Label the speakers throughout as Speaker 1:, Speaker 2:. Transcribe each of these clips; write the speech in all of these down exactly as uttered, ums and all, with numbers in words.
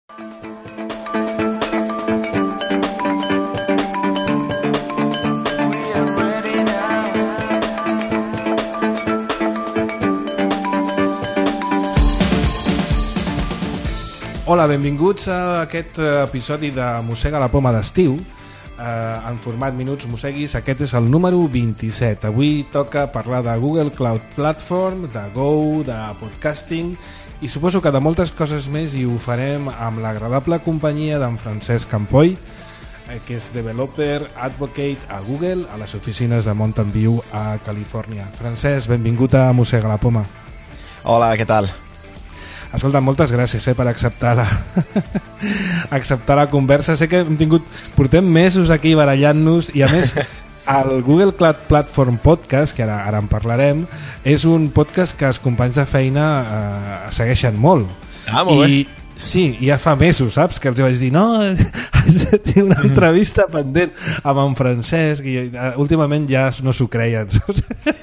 Speaker 1: Hola, benvinguts a aquest episodi de Mossega la Poma d'estiu, eh, en format Minuts Mosseguis. Aquest és el número vint-i-set. Avui toca parlar de Google Cloud Platform, de Go, de podcasting i suposo que de moltes coses més, i ho farem amb l'agradable companyia d'en Francesc Campoy, eh, que és developer advocate a Google, a les oficines de Mountain View a Califòrnia. Francesc, benvingut a Mossega la Poma.
Speaker 2: Hola, què tal?
Speaker 1: Escolta, moltes gràcies eh, per acceptar la acceptar la conversa. Sé que hem tingut, portem mesos aquí barallant-nos, i a més el Google Cloud Platform Podcast, que ara, ara en parlarem, és un podcast que els companys de feina eh, segueixen molt.
Speaker 2: Ah, molt
Speaker 1: I,
Speaker 2: bé.
Speaker 1: Sí, ja fa mesos, saps? Que els vaig dir, no, tinc una entrevista pendent amb en Francesc, i uh, últimament ja no s'ho creien.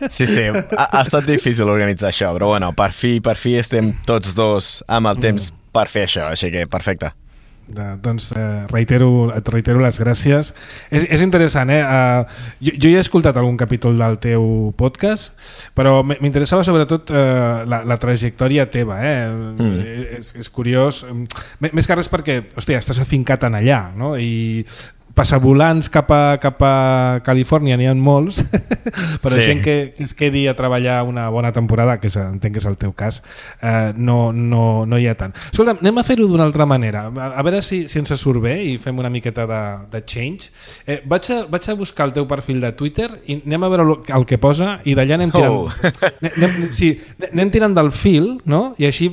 Speaker 2: Sí, sí, ha, ha estat difícil organitzar això, però bueno, per fi, per fi estem tots dos amb el temps mm. per fer això, així que perfecte.
Speaker 1: De, doncs eh, reitero, et reitero les gràcies. És, és interessant, eh? Uh, jo, jo ja he escoltat algun capítol del teu podcast, però m'interessava sobretot uh, la, la trajectòria teva, eh? Mm. És, és curiós, més que res perquè, hòstia, estàs afincat en allà, no? I passavolants cap a, cap a Califòrnia n'hi ha molts, però sí. Gent que, que es quedi a treballar una bona temporada, que és, entenc que és el teu cas, eh, no, no, no hi ha tant. Escolta, anem a fer-ho d'una altra manera, a, a veure si, si ens surt bé i fem una miqueta de, de change. Eh, vaig, a, vaig a buscar el teu perfil de Twitter i anem a veure el que posa, i d'allà anem tirant, oh. anem, sí, anem tirant del fil, no? I així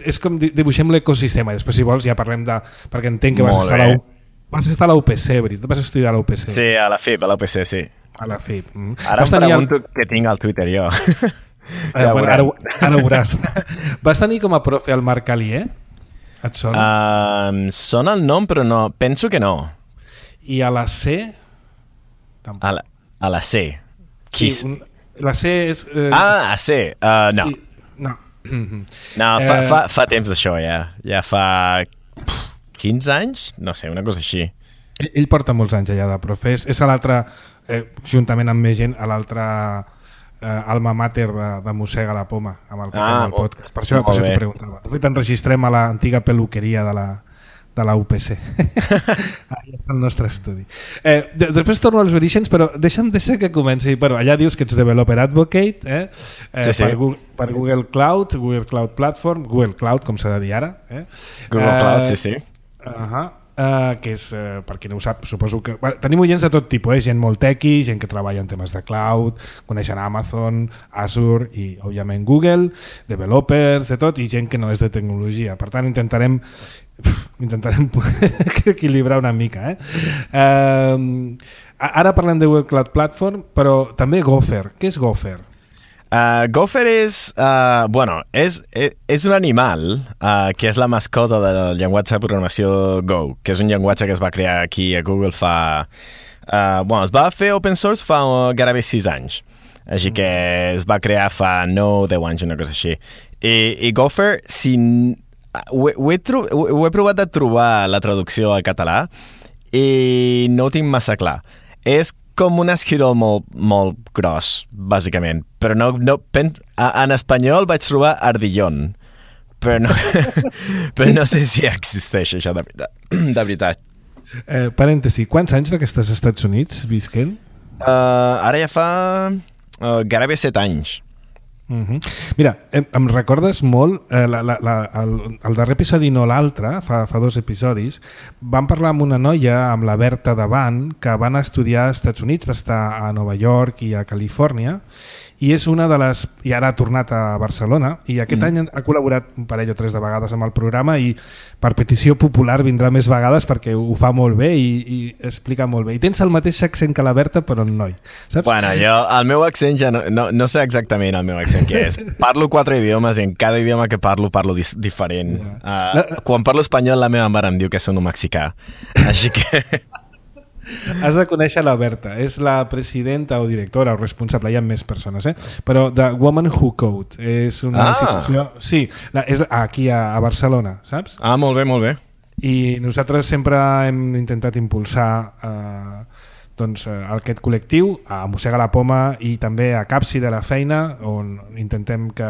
Speaker 1: és com dibuixem l'ecosistema. Després, si vols, ja parlem de... perquè entenc que vas estar a la U. Vas estar a la U P C, veritat? Vas estudiar a la U P C?
Speaker 2: Sí, a la F I P, a la U P C, sí.
Speaker 1: A la F I P. Mm.
Speaker 2: Ara vas em pregunto el... què tinc al Twitter, jo.
Speaker 1: Eh, ja bueno, ara, ara ho veuràs. Vas tenir com a profe el Marc Alier? Et sona?
Speaker 2: Uh, sona el nom, però no. Penso que no.
Speaker 1: I a la C? Tampoc.
Speaker 2: A la, a la C? Qui...
Speaker 1: Sí, un... La C és... Eh...
Speaker 2: Ah, a C. Uh, no.
Speaker 1: Sí. No.
Speaker 2: No, fa, eh... fa, fa temps d'això, ja. Ja fa... quinze anys? No sé, una cosa així.
Speaker 1: Ell, ell porta molts anys allà de profe. És, és a l'altre, eh, juntament amb més gent, a l'altre eh, alma mater de, de Mossega la Poma, amb el que ah, fem el podcast. Per això, per això t'ho preguntava. De fet, enregistrem a l'antiga peluqueria de la, de la U P C. Allà està el nostre estudi. Eh, de, després torno als orígens, però deixa'm deixar que comenci. Però allà dius que ets developer advocate, eh? Eh, sí, sí. Per, Google, per Google Cloud, Google Cloud Platform, Google Cloud, com s'ha de dir ara. Eh?
Speaker 2: Google eh, Cloud, sí, sí.
Speaker 1: Uh-huh. Uh, que és, uh, per qui no ho sap, suposo que... Bueno, tenim oients de tot tipus, eh? Gent molt tequi, gent que treballa en temes de cloud, coneixen Amazon, Azure i, òbviament, Google, developers, de tot, i gent que no és de tecnologia. Per tant, intentarem intentarem equilibrar una mica. Eh? Uh, ara parlem de Google Cloud Platform, però també Gopher. Què és Gopher?
Speaker 2: Uh, Gopher és, uh, bueno, és, és, és un animal uh, que és la mascota del llenguatge de programació Go, que és un llenguatge que es va crear aquí a Google fa... Uh, bueno, es va fer open source fa uh, gairebé sis anys, així que es va crear fa nou, deu anys, una cosa així. I, i Gopher, si... Ho he, ho, he tro... ho he provat de trobar la traducció al català i no ho tinc massa clar. És com un esquirol molt, molt gros, bàsicament. Però no, no, pen, en espanyol vaig trobar ardillon, però no, però no sé si existeix això de veritat. De veritat.
Speaker 1: Eh, parèntesi, quants anys fa que estàs als Estats Units visquent?
Speaker 2: Uh, ara ja fa uh, gairebé set anys.
Speaker 1: Uh-huh. Mira, em, em recordes molt eh, la, la, la, el, el darrer episodi, no l'altre, fa, fa dos episodis, vam parlar amb una noia, amb la Berta Davant, que van estudiar als Estats Units, va estar a Nova York i a Califòrnia, i és una de les... i ara ha tornat a Barcelona, i aquest mm. any ha col·laborat un parell o tres de vegades amb el programa, i per petició popular vindrà més vegades perquè ho fa molt bé i, i explica molt bé. I tens el mateix accent que la Berta, però en noi, saps?
Speaker 2: Bueno, jo, el meu accent ja no, no, no sé exactament el meu accent què és. Parlo quatre idiomes i en cada idioma que parlo, parlo dis- diferent. Yeah. Uh, la... Quan parlo espanyol, la meva mare em diu que sono mexicà. Així que...
Speaker 1: Has de conèixer la Berta. És la presidenta o directora o responsable, hi ha més persones, eh? Però de Woman Who Code. És una
Speaker 2: ah.
Speaker 1: institució... Sí, la, és aquí a, a Barcelona, saps?
Speaker 2: Ah, molt bé, molt bé.
Speaker 1: I nosaltres sempre hem intentat impulsar eh, doncs, eh, aquest col·lectiu, a Mossega la Poma i també a Capsi de la Feina, on intentem que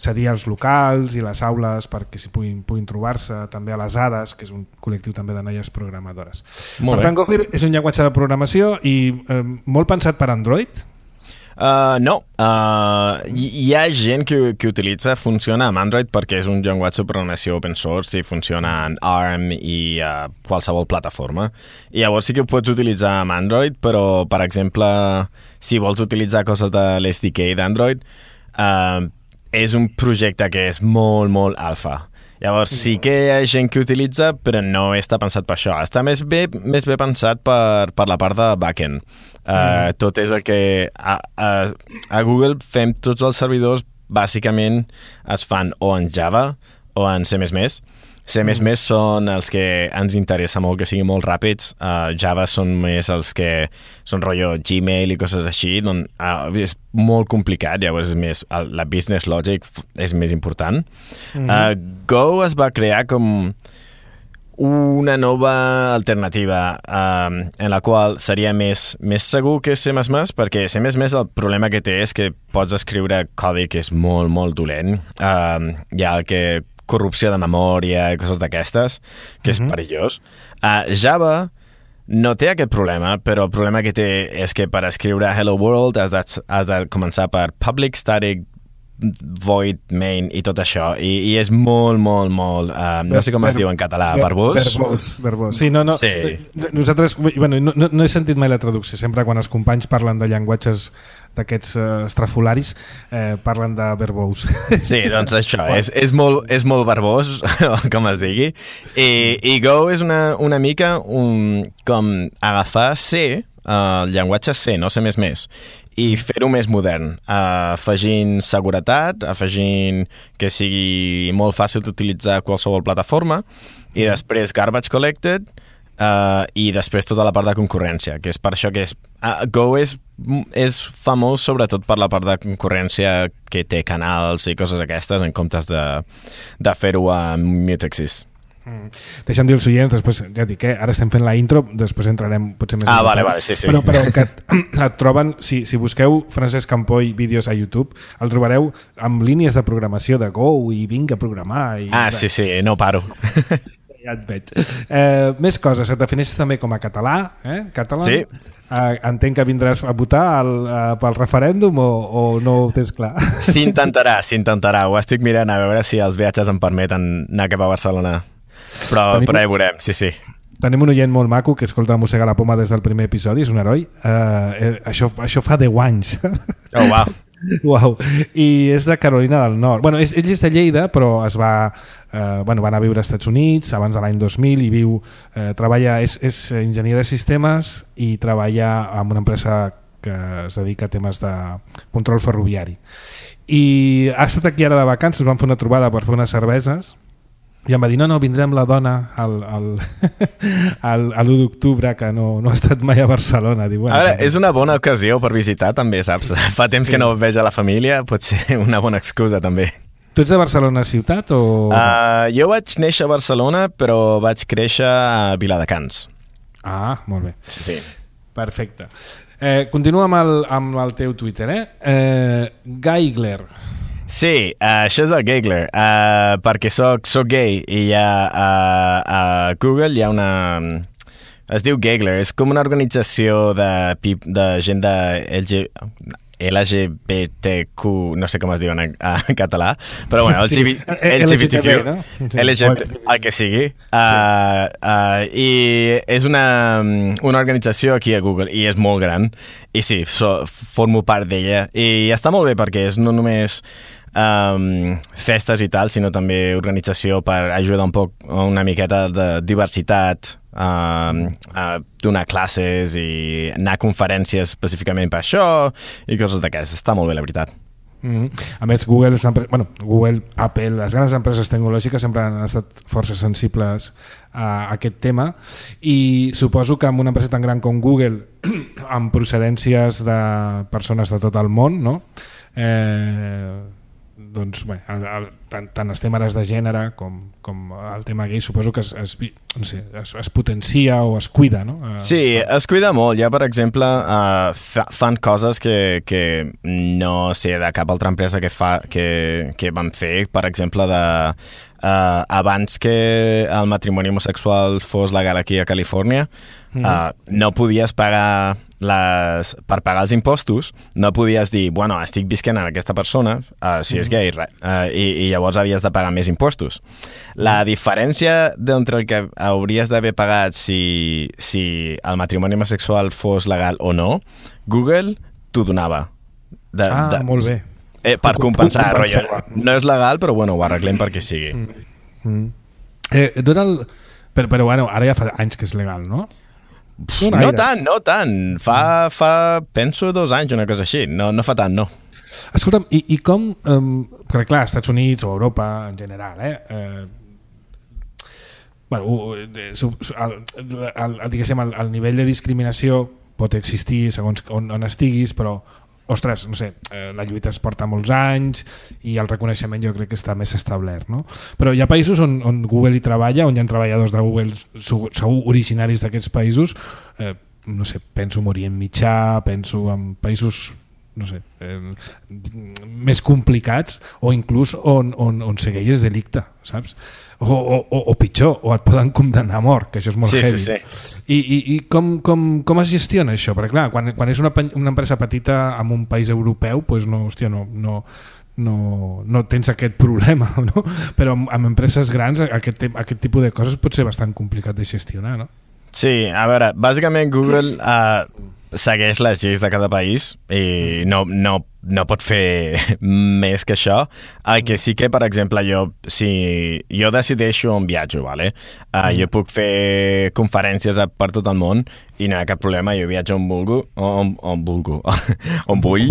Speaker 1: cedir els locals i les aules perquè s'hi puguin, puguin trobar-se, també a les Hades, que és un col·lectiu també de noies programadores.
Speaker 2: Molt
Speaker 1: per
Speaker 2: bé.
Speaker 1: tant, Gopher és un llenguatge de programació i eh, molt pensat per Android?
Speaker 2: Uh, no, uh, hi, hi ha gent que, que utilitza, funciona amb Android perquè és un llenguatge de programació open source i funciona en A R M i uh, qualsevol plataforma. I llavors sí que ho pots utilitzar amb Android, però, per exemple, si vols utilitzar coses de l'S D K d'Android, uh, és un projecte que és molt, molt alfa. Llavors sí que hi ha gent que utilitza, però no està pensat per això. Està més bé, més bé pensat per, per la part de backend. Uh, mm. Tot és el que... A, a, a Google fem tots els servidors, bàsicament es fan o en Java o en C més més. C més més són els que ens interessa molt que siguin molt ràpids. Uh, Java són més els que són rotllo Gmail i coses així, doncs uh, és molt complicat, llavors és més, uh, la business logic és més important. Mm-hmm. uh, Go es va crear com una nova alternativa uh, en la qual seria més, més segur que C més més, perquè C més més el problema que té és que pots escriure codi que és molt, molt dolent. Uh, hi ha el que corrupció de memòria i coses d'aquestes, que és uh-huh. perillós. Uh, Java no té aquest problema, però el problema que té és que per escriure Hello World has de, has de començar per public static void main i tot això, i, i és molt, molt, molt uh, no sé com es diu en català, verbós?
Speaker 1: Verbós, verbós. Sí, no, no,
Speaker 2: sí.
Speaker 1: Nosaltres, bueno, no, no he sentit mai la traducció, sempre quan els companys parlen de llenguatges d'aquests uh, estrafolaris eh, parlen de verbós.
Speaker 2: Sí, doncs això, és, és, molt, és molt verbós, com es digui, i, i Go és una, una mica un, com agafar C, uh, el llenguatge C, no C més més, i fer-ho més modern, uh, afegint seguretat, afegint que sigui molt fàcil d'utilitzar qualsevol plataforma, i després garbage collected, uh, i després tota la part de concurrència, que és per això que és, uh, Go és, és famós sobretot per la part de concurrència que té canals i coses aquestes en comptes de, de fer-ho amb Mutexis.
Speaker 1: Mm. Deixa'm dir els oients, després ja dic, eh? Ara estem fent la intro, després entrarem potser més...
Speaker 2: Ah, vale, vale, sí, sí.
Speaker 1: Però, però que et, et troben, si, si busqueu Francesc Campoy vídeos a YouTube, el trobareu amb línies de programació de Go i vinga a programar. I,
Speaker 2: ah, sí, sí, no paro.
Speaker 1: Ja et veig. Eh, més coses, et defineixes també com a català, eh? Català?
Speaker 2: Sí.
Speaker 1: Eh, entenc que vindràs a votar al, a, pel referèndum o, o no ho tens clar?
Speaker 2: S'intentarà, s'intentarà. Ho estic mirant a veure si els viatges em permeten anar cap a Barcelona. Però, tenim, però ja veurem, sí, sí.
Speaker 1: Tenim un oient molt maco que escolta Mossega la Poma des del primer episodi, és un heroi. Uh, eh, això, això fa deu anys.
Speaker 2: Oh, wow.
Speaker 1: Wow. I és de Carolina del Nord. Bueno, és, ell és de Lleida, però es va, eh, bueno, va anar a viure als Estats Units abans de l'any dos mil i viu, eh, treballa, és, és enginyer de sistemes i treballa en una empresa que es dedica a temes de control ferroviari. I ha estat aquí ara de vacances, van fer una trobada per fer unes cerveses. I em va dir, no, no, vindrem la dona al, al, al, a l'u d'octubre, que no, no ha estat mai a Barcelona. Diu, bueno,
Speaker 2: a veure, és una bona ocasió per visitar, també, saps? Fa temps sí. que no veig a la família, pot ser una bona excusa, també.
Speaker 1: Tu ets de Barcelona ciutat o...?
Speaker 2: Uh, jo vaig néixer a Barcelona, però vaig créixer a Viladecans.
Speaker 1: Ah, molt bé.
Speaker 2: Sí, sí.
Speaker 1: Perfecte. Eh, continua amb el, amb el teu Twitter, eh? eh Gaigler.
Speaker 2: Sí, uh, això és el Gaigler, uh, perquè soc, soc gay i hi ha, uh, a Google hi ha una... Es diu Gaigler, és com una organització de, de gent de L G... L G B T Q, no sé com es diuen en, en català, però bueno, L G B T Q, no? L G B T, el que sigui, uh, uh, i és una, una organització aquí a Google i és molt gran, i sí, so, formo part d'ella, i està molt bé perquè és no només um, festes i tal, sinó també organització per ajudar un poc, una miqueta de diversitat, Uh, uh, donar classes i anar a conferències específicament per això i coses d'aquestes. Està molt bé, la veritat.
Speaker 1: Mm-hmm. A més, Google és una empresa, bueno, Google, Apple, les grans empreses tecnològiques sempre han estat força sensibles a aquest tema i suposo que amb una empresa tan gran com Google, amb procedències de persones de tot el món, no? Eh, doncs, bé, el, el, tant, tant els temes de gènere com, com el tema gay suposo que es, es, no sé, es, es potencia o es cuida, no?
Speaker 2: Sí, es cuida molt. Ja, per exemple, uh, fa, fan coses que, que no sé de cap altra empresa que, fa, que, que van fer, per exemple, de uh, abans que el matrimoni homosexual fos legal aquí a Califòrnia, uh, mm-hmm. no podies pagar les, per pagar els impostos, no podies dir, bueno, estic visquent amb aquesta persona, uh, si és gay, uh, i, i llavors havies de pagar més impostos. La diferència d'entre el que hauries d'haver pagat si, si el matrimoni homosexual fos legal o no, Google t'ho donava. De,
Speaker 1: ah,
Speaker 2: de,
Speaker 1: molt bé.
Speaker 2: Eh, per compensar, rotllo. No és legal, però bueno, ho arreglem perquè sigui.
Speaker 1: Mm. Mm. Eh, el... però, però bueno, ara ja fa anys que és legal, no?
Speaker 2: No, no tant, no tant. Fa, fa, penso, dos anys, una cosa així. No, no fa tant, no.
Speaker 1: Escolta'm, i, i com... Um, perquè clar, als Estats Units o Europa en general, eh... eh bueno, el, el, el, diguéssim, el, el nivell de discriminació pot existir segons on, on estiguis, però ostres, no sé, eh, la lluita es porta molts anys i el reconeixement jo crec que està més establert, no? Però hi ha països on, on Google hi treballa, on hi ha treballadors de Google segur originaris d'aquests països, eh, no sé, penso en Orient Mitjà, penso en països no sé, eh, més complicats o inclús on, on, on segueix és delicte, saps? O, o, o pitjor, o et poden condemnar a mort, que això és molt
Speaker 2: sí,
Speaker 1: heavy.
Speaker 2: Sí, sí.
Speaker 1: I, i, i com, com, com es gestiona això? Perquè clar, quan, quan és una, una empresa petita en un país europeu, pues no, hòstia, no, no, no, no tens aquest problema, no? Però amb, amb empreses grans aquest, aquest tipus de coses pot ser bastant complicat de gestionar, no?
Speaker 2: Sí, a veure, bàsicament Google uh, segueix les lleis de cada país i no, no, no pot fer més que això. El que sí que, per exemple, jo, si jo decideixo on viatjo, vale? uh, jo puc fer conferències per tot el món i no hi ha cap problema, jo viatjo on vulgo, on, on vulgo, on vull,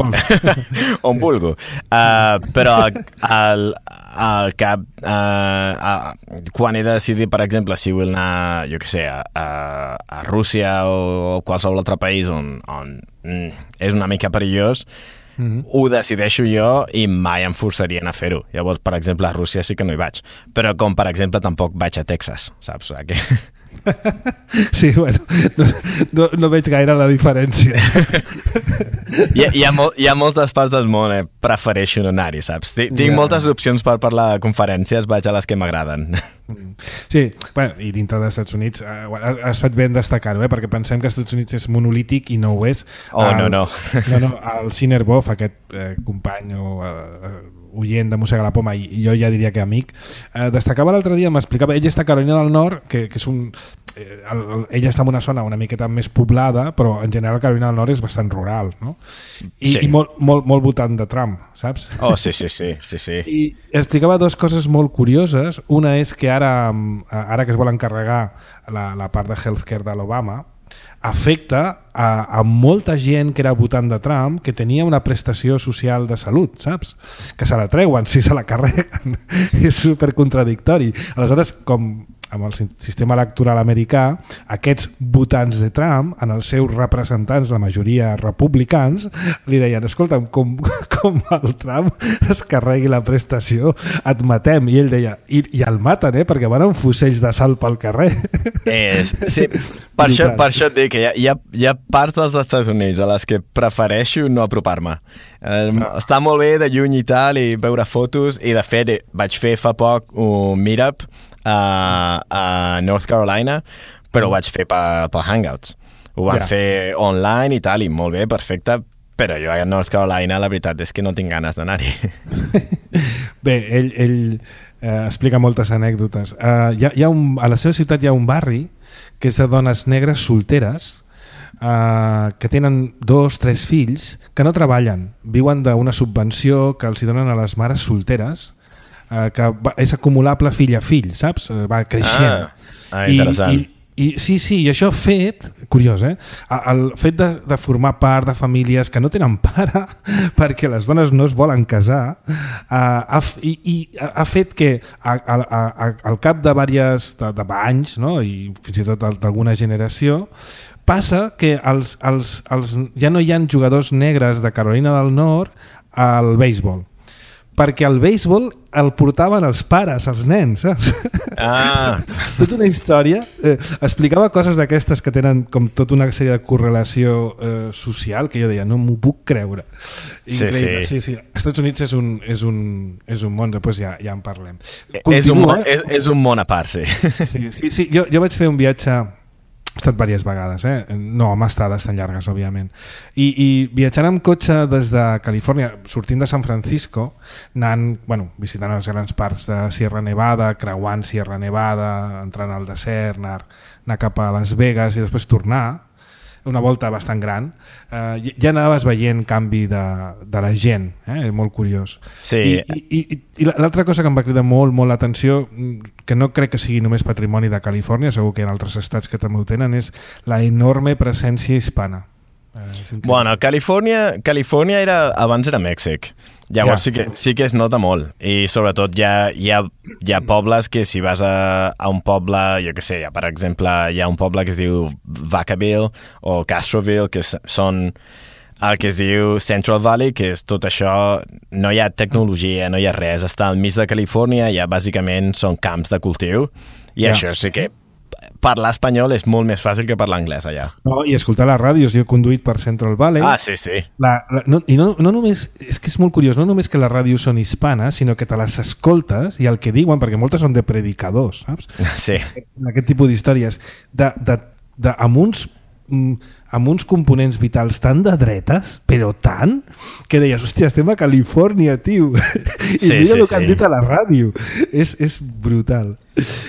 Speaker 2: on vulgo. Uh, però el, el cap, uh, uh, quan he de decidir, per exemple, si vull anar, jo què sé, a, a, a Rússia o, o qualsevol altre país on, on mm, és una mica perillós, mm-hmm. ho decideixo jo i mai em forçarien a fer-ho. Llavors, per exemple, a Rússia sí que no hi vaig. Però com, per exemple, tampoc vaig a Texas, saps? Que...
Speaker 1: Sí, bueno, no, no, no veig gaire la diferència.
Speaker 2: hi, ha, hi, ha molt, hi ha moltes parts del món, eh? Prefereixo no anar-hi, saps? Tinc yeah. moltes opcions per parlar de conferències, vaig a les que m'agraden.
Speaker 1: Sí, bueno, i dintre dels Estats Units eh, has fet ben destacar-ho, eh? Perquè pensem que els Estats Units és monolític i no ho és.
Speaker 2: Oh, el, no, no.
Speaker 1: no, no el Cinerbov, aquest eh, company o eh, oient de Mossega la Poma, i jo ja diria que amic, eh, destacava l'altre dia, m'explicava, ell està a Carolina del Nord, que, que és un... Eh, el, el, ella està en una zona una miqueta més poblada, però en general Carolina del Nord és bastant rural, no? I, sí. i molt, molt, molt votant de Trump, saps?
Speaker 2: Oh, sí, sí, sí, sí, sí.
Speaker 1: I explicava dues coses molt curioses. Una és que ara, ara que es vol encarregar la, la part de healthcare de l'Obama, afecta a, a molta gent que era votant de Trump que tenia una prestació social de salut, saps? Que se la treuen si se la carreguen. És supercontradictori. Aleshores, com amb el sistema electoral americà, aquests votants de Trump, en els seus representants, la majoria republicans, li deien, escolta'm, com, com el Trump es carregui la prestació, et matem. I ell deia, i, i el maten, eh? Perquè van amb fusells de sal pel carrer.
Speaker 2: És, sí, per, això, per això et dic que hi ha, hi, ha, hi ha parts dels Estats Units a les que prefereixo no apropar-me. Eh, no. Està molt bé de lluny i tal, i veure fotos, i de fet vaig fer fa poc un meetup a, a North Carolina, però ho vaig fer per, per Hangouts. Ho van yeah. fer online i tal, i molt bé, perfecte, però jo a North Carolina la veritat és que no tinc ganes d'anar-hi.
Speaker 1: Bé, ell, ell eh, explica moltes anècdotes. Uh, hi ha, hi ha un, a la seva ciutat hi ha un barri que és de dones negres solteres Uh, que tenen dos, tres fills que no treballen, viuen d'una subvenció que els hi donen a les mares solteres, uh, que va, és acumulable fill a fill, saps? Uh, va creixent.
Speaker 2: Ah, ah interessant.
Speaker 1: I, I sí, sí, i això fet, curiós, eh? El fet de, de formar part de famílies que no tenen pare perquè les dones no es volen casar uh, ha, i, i ha fet que a, a, a, al cap de diversos de, de anys, no? I fins i tot d'alguna generació, passa que els, els, els, ja no hi ha jugadors negres de Carolina del Nord al béisbol, perquè el béisbol el portaven els pares, els nens, saps?
Speaker 2: Ah.
Speaker 1: Tota una història. Eh, explicava coses d'aquestes que tenen com tota una sèrie de correlació eh, social que jo deia, no m'ho puc creure. Increïble. Sí, sí. sí, sí. Als Estats Units és un, és un, és un món, després ja, ja en parlem.
Speaker 2: Continua, és, un món, és, és un món a part, sí.
Speaker 1: Sí, sí, sí. Jo, jo vaig fer un viatge... He estat diverses vegades, eh? No amb estades tan llargues, òbviament. I, i viatjant amb cotxe des de Califòrnia, sortint de San Francisco, anant, bueno, visitant els grans parcs de Sierra Nevada, creuant Sierra Nevada, entrant al desert, anar, anar cap a Las Vegas i després tornar, una volta bastant gran, eh, ja anaves veient canvi de, de la gent, eh? Molt curiós.
Speaker 2: Sí.
Speaker 1: I, i, i, i l'altra cosa que em va cridar molt, molt l'atenció, que no crec que sigui només patrimoni de Califòrnia, segur que en altres estats que també ho tenen, és la enorme presència hispana. Eh,
Speaker 2: bueno, Califòrnia, Califòrnia era, abans era Mèxic. Llavors ja. sí, que, sí que es nota molt i sobretot hi ha, hi ha, hi ha pobles que si vas a, a un poble, jo què sé, ja, per exemple hi ha un poble que es diu Vacaville o Castroville, que són el que es diu Central Valley, que és tot això, no hi ha tecnologia, no hi ha res, està al mig de Califòrnia, ja bàsicament són camps de cultiu i ja. Això sí que parlar espanyol és molt més fàcil que parlar anglès allà.
Speaker 1: No, i escoltar les ràdios, jo he conduït per Central Valley.
Speaker 2: Ah, sí, sí.
Speaker 1: La, la, no, I no, no només, és que és molt curiós, no només que les ràdios són hispanes, sinó que te les escoltes i el que diuen, perquè moltes són de predicadors, saps?
Speaker 2: Sí.
Speaker 1: Aquest tipus d'històries, de, de, de, amb uns... amb uns components vitals tan de dretes, però tant, que deies, hòstia, estem a Califòrnia, tio. I sí, mira sí, el que sí. han dit a la ràdio. És, és brutal.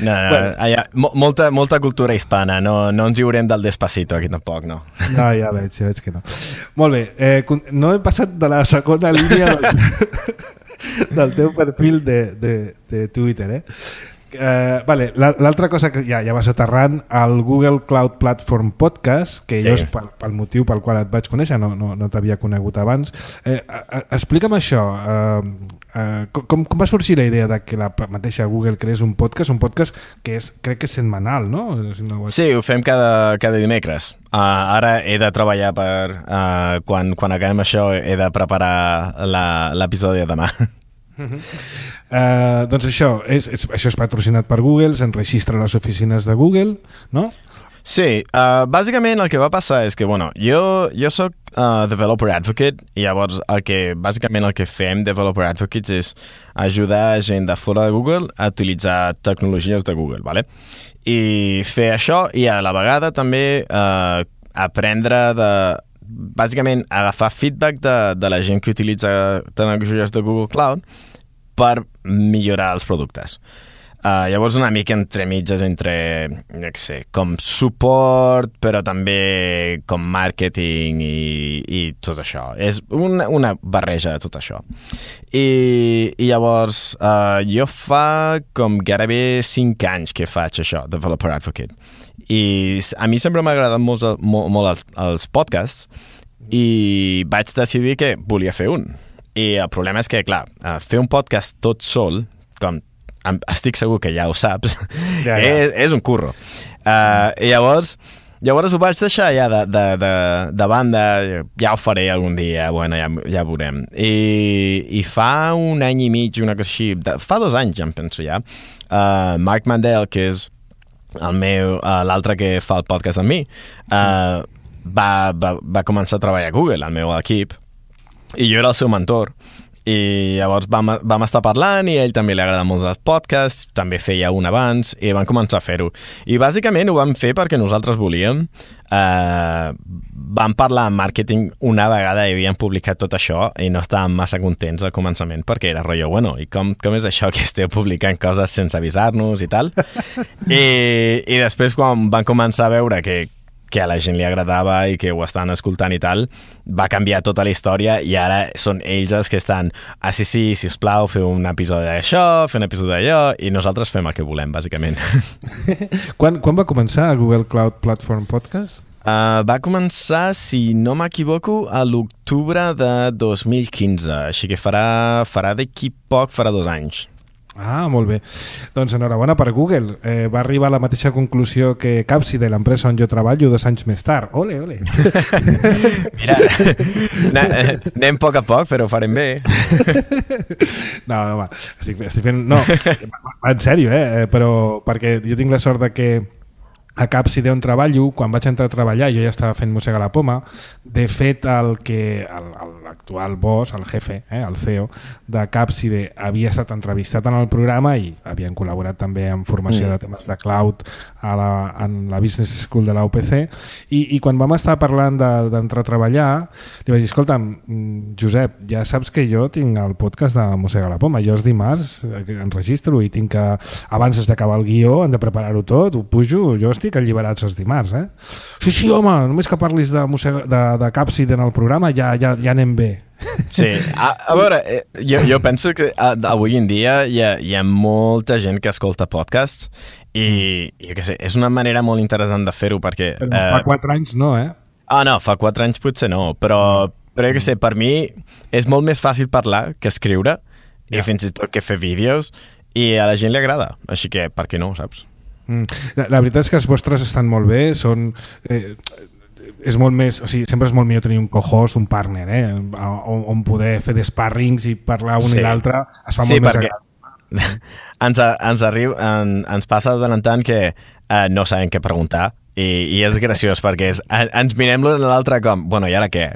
Speaker 2: No, no, bueno. allà, molta, molta cultura hispana, no, no ens lliurem del Despacito aquí tampoc, no.
Speaker 1: No, ja veig, ja veig que no. Molt bé, eh, no he passat de la segona línia del, del teu perfil de, de, de Twitter, eh? Uh, vale, l'altra cosa que ja, ja vas aterrant al Google Cloud Platform Podcast, que sí. jo és pel, pel motiu pel qual et vaig conèixer, no, no, no t'havia conegut abans. Eh, uh, explica'm això, uh, uh, com, com va sorgir la idea de que la mateixa Google creés un podcast, un podcast que és, crec que és setmanal, no? Si no ho vaig...
Speaker 2: Sí, ho fem cada, cada dimecres. Uh, ara he de treballar per... Uh, quan, quan acabem això he de preparar l'episodi de demà.
Speaker 1: Uh-huh. Uh, doncs això és, és, això és patrocinat per Google, s'enregistra a les oficines de Google, no?
Speaker 2: Sí, uh, bàsicament el que va passar és que, bueno, jo, jo soc uh, Developer Advocate i llavors el que, bàsicament el que fem Developer Advocates és ajudar gent de fora de Google a utilitzar tecnologies de Google, ¿vale? I fer això i a la vegada també uh, aprendre de... bàsicament agafar feedback de, de la gent que utilitza tecnologies de Google Cloud per millorar els productes. Uh, llavors una mica entre mitges entre, no sé, com suport, però també com marketing i, i tot això. És una, una barreja de tot això. I, i llavors uh, jo fa com gairebé cinc anys que faig això, Developer Advocate. I a mi sempre m'ha agradat molt, molt, molt els, els podcasts i vaig decidir que volia fer un. I el problema és que, clar, fer un podcast tot sol, com estic segur que ja ho saps, ja, ja. És, és un curro. Uh, I llavors, llavors ho vaig deixar ja de, de, de, de banda, ja ho faré algun dia, bueno, ja, ja veurem. I, I fa un any i mig, una cosa així, de, fa dos anys ja em penso ja, uh, Mark Mandel, que és el meu, uh, l'altre que fa el podcast amb mi, uh, va, va, va començar a treballar a Google, al meu equip, i jo era el seu mentor. I llavors vam, vam estar parlant i a ell també li agrada molt els podcasts, també feia un abans i vam començar a fer-ho. I bàsicament ho vam fer perquè nosaltres volíem. Uh, vam parlar en màrqueting una vegada i havíem publicat tot això i no estàvem massa contents al començament perquè era rotllo, bueno, i com, com és això que esteu publicant coses sense avisar-nos i tal? I, i després quan van començar a veure que que a la gent li agradava i que ho estan escoltant i tal, va canviar tota la història i ara són ells els que estan ah, sí, sí, sisplau, feu un episodi d'això, feu un episodi d'allò, i nosaltres fem el que volem, bàsicament.
Speaker 1: quan, quan va començar Google Cloud Platform Podcast?
Speaker 2: Uh, va començar, si no m'equivoco, a l'octubre de dos mil quinze, així que farà, farà d'aquí poc, farà dos anys.
Speaker 1: Ah, molt bé. Doncs enhorabona per Google. Eh, va arribar a la mateixa conclusió que Capside, l'empresa on jo treballo, dos anys més tard. Ole, ole.
Speaker 2: Mira, anem a poc a poc, però ho farem bé.
Speaker 1: No, no, va. Estic, estic fent... No, en sèrio, eh? Però perquè jo tinc la sort de que a Capside on treballo, quan vaig entrar a treballar, jo ja estava fent Mossega la Poma. De fet, el que l'actual boss, el jefe, eh, el C E O de Capside, havia estat entrevistat en el programa i havien col·laborat també en formació mm. de temes de cloud a la, en la Business School de la U P C. I, i quan vam estar parlant d'entrar de, a treballar, li vaig dir, escolta'm, Josep, ja saps que jo tinc el podcast de Mossega la Poma. Jo els dimarts enregistro i tinc que, abans d'acabar el guió, hem de preparar-ho tot, ho pujo, jo estic alliberats els dimarts, eh? Sí, sí, home, només que parlis de, de, de Capside en el programa ja, ja, ja anem bé.
Speaker 2: Sí, a, a veure, jo, jo penso que avui en dia hi ha, hi ha molta gent que escolta podcasts i, jo què sé, és una manera molt interessant de fer-ho perquè...
Speaker 1: Però eh, fa quatre anys no, eh?
Speaker 2: Ah, no, fa quatre anys potser no, però, però jo què sé, per mi és molt més fàcil parlar que escriure ja. I fins i tot que fer vídeos i a la gent li agrada, així que per què no, saps?
Speaker 1: Mm. La, la veritat és que els vostres estan molt bé, són... Eh, és molt més, o sigui, sempre és molt millor tenir un co-host, un partner, eh? on, on poder fer d'sparrings i parlar un sí. I l'altre es fa
Speaker 2: sí,
Speaker 1: molt més agradable.
Speaker 2: ens, ens, arriba, en, ens passa de tant en tant que eh, no sabem què preguntar i, i és graciós perquè és, ens mirem l'un a l'altre com, bueno, i ara què?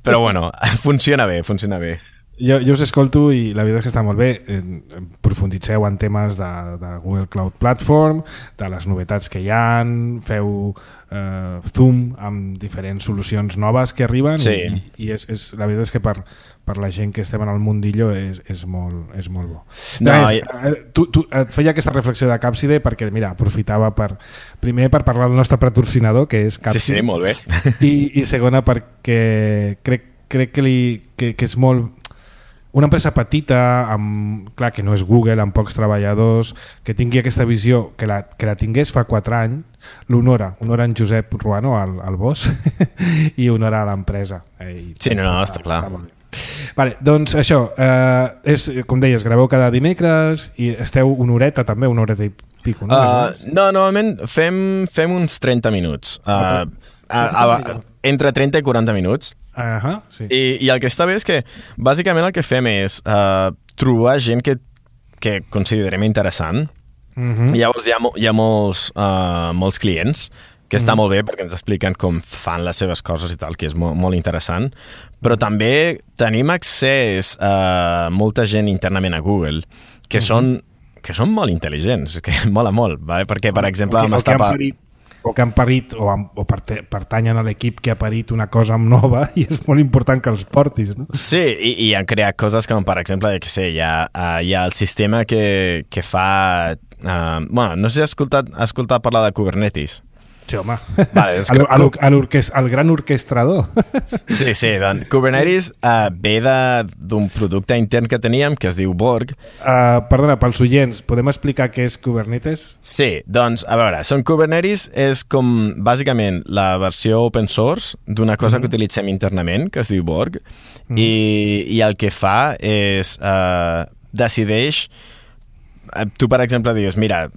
Speaker 2: Però bueno, funciona bé, funciona bé.
Speaker 1: Jo, jo us escolto i la veritat és que està molt bé. Eh, profunditzeu en temes de, de Google Cloud Platform, de les novetats que hi ha, feu eh, zoom amb diferents solucions noves que arriben
Speaker 2: sí.
Speaker 1: i, i és, és, la veritat és que per, per la gent que estem en el mundillo és, és, molt, és molt bo. No, més, i... tu, tu et feia aquesta reflexió de Capside perquè, mira, aprofitava per, primer per parlar del nostre patrocinador, que és Capside.
Speaker 2: Sí, sí, molt bé.
Speaker 1: I, i segona perquè crec, crec que, li, que, que és molt... Una empresa petita, amb, clar que no és Google, amb pocs treballadors, que tingui aquesta visió, que la, que la tingués fa quatre anys, l'honora. Honora en Josep Ruano, el, el boss, i honora a l'empresa. Eh,
Speaker 2: sí, no, no, està clar.
Speaker 1: Vale, doncs això, eh, és, com deies, graveu cada dimecres i esteu una horeta també, una horeta i pico, no?
Speaker 2: Uh, no, normalment fem, fem uns trenta minuts. Uh, a, a, a, entre trenta i quaranta minuts.
Speaker 1: Uh-huh, sí.
Speaker 2: I, I el que està bé és que bàsicament el que fem és uh, trobar gent que, que considerem interessant. Uh-huh. Llavors hi ha, hi ha molts, uh, molts clients que està uh-huh. molt bé perquè ens expliquen com fan les seves coses i tal, que és molt, molt interessant, però també tenim accés a molta gent internament a Google que, uh-huh. són, que són molt intel·ligents, que mola molt, vale? Perquè per exemple
Speaker 1: okay,
Speaker 2: vam estar...
Speaker 1: Okay, o que han parit o, o pertanyen a l'equip que ha parit una cosa nova i és molt important que els portis, no?
Speaker 2: Sí, i, i han creat coses com, per exemple, que sé, hi ha, uh, hi ha el sistema que, que fa... Uh, bueno, no sé si has escoltat, has escoltat parlar de Kubernetes.
Speaker 1: Sí, home.
Speaker 2: Vale, és
Speaker 1: que... el, el, el gran orquestrador.
Speaker 2: Sí, sí, doncs Kubernetes uh, ve d'un producte intern que teníem que es diu Borg.
Speaker 1: Uh, perdona, pels oients, podem explicar què és Kubernetes?
Speaker 2: Sí, doncs, a veure, són Kubernetes és com, bàsicament, la versió open source d'una cosa mm-hmm. que utilitzem internament, que es diu Borg, mm-hmm. i, i el que fa és uh, decideix tu, per exemple, dius, mira,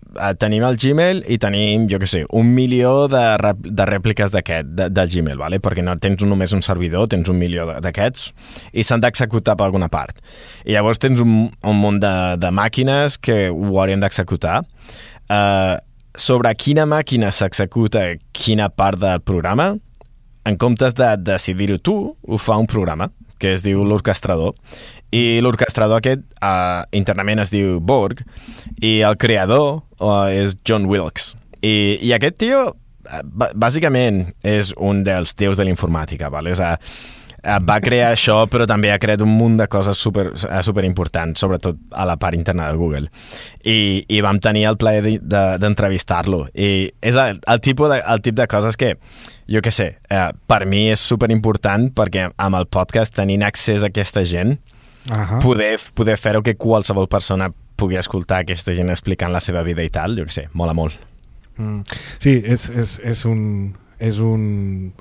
Speaker 2: tenim el Gmail i tenim, jo què sé, un milió de, rep de rèpliques d'aquest, de, del Gmail, vale? Perquè no tens un, només un servidor, tens un milió d'aquests i s'han d'executar per alguna part. I llavors tens un, un munt de, de màquines que ho haurien d'executar. Uh, sobre quina màquina s'executa quina part del programa, en comptes de decidir-ho tu, ho fa un programa que es diu l'orquestrador. I l'orquestrador aquest uh, internament es diu Borg i el creador uh, és John Wilkes. I, i aquest tio, uh, bàsicament, és un dels déus de l'informàtica, vale? O sigui, va crear això, però també ha creat un munt de coses super, super importants, sobretot a la part interna de Google. I, i vam tenir el plaer d'entrevistar-lo. I és el, el, tipus de, el tip de coses que, jo què sé, eh, per mi és super important perquè amb el podcast tenint accés a aquesta gent, uh-huh. poder, poder fer-ho que qualsevol persona pugui escoltar aquesta gent explicant la seva vida i tal, jo què sé, mola molt.
Speaker 1: Mm. Sí, és, és, és un... és un,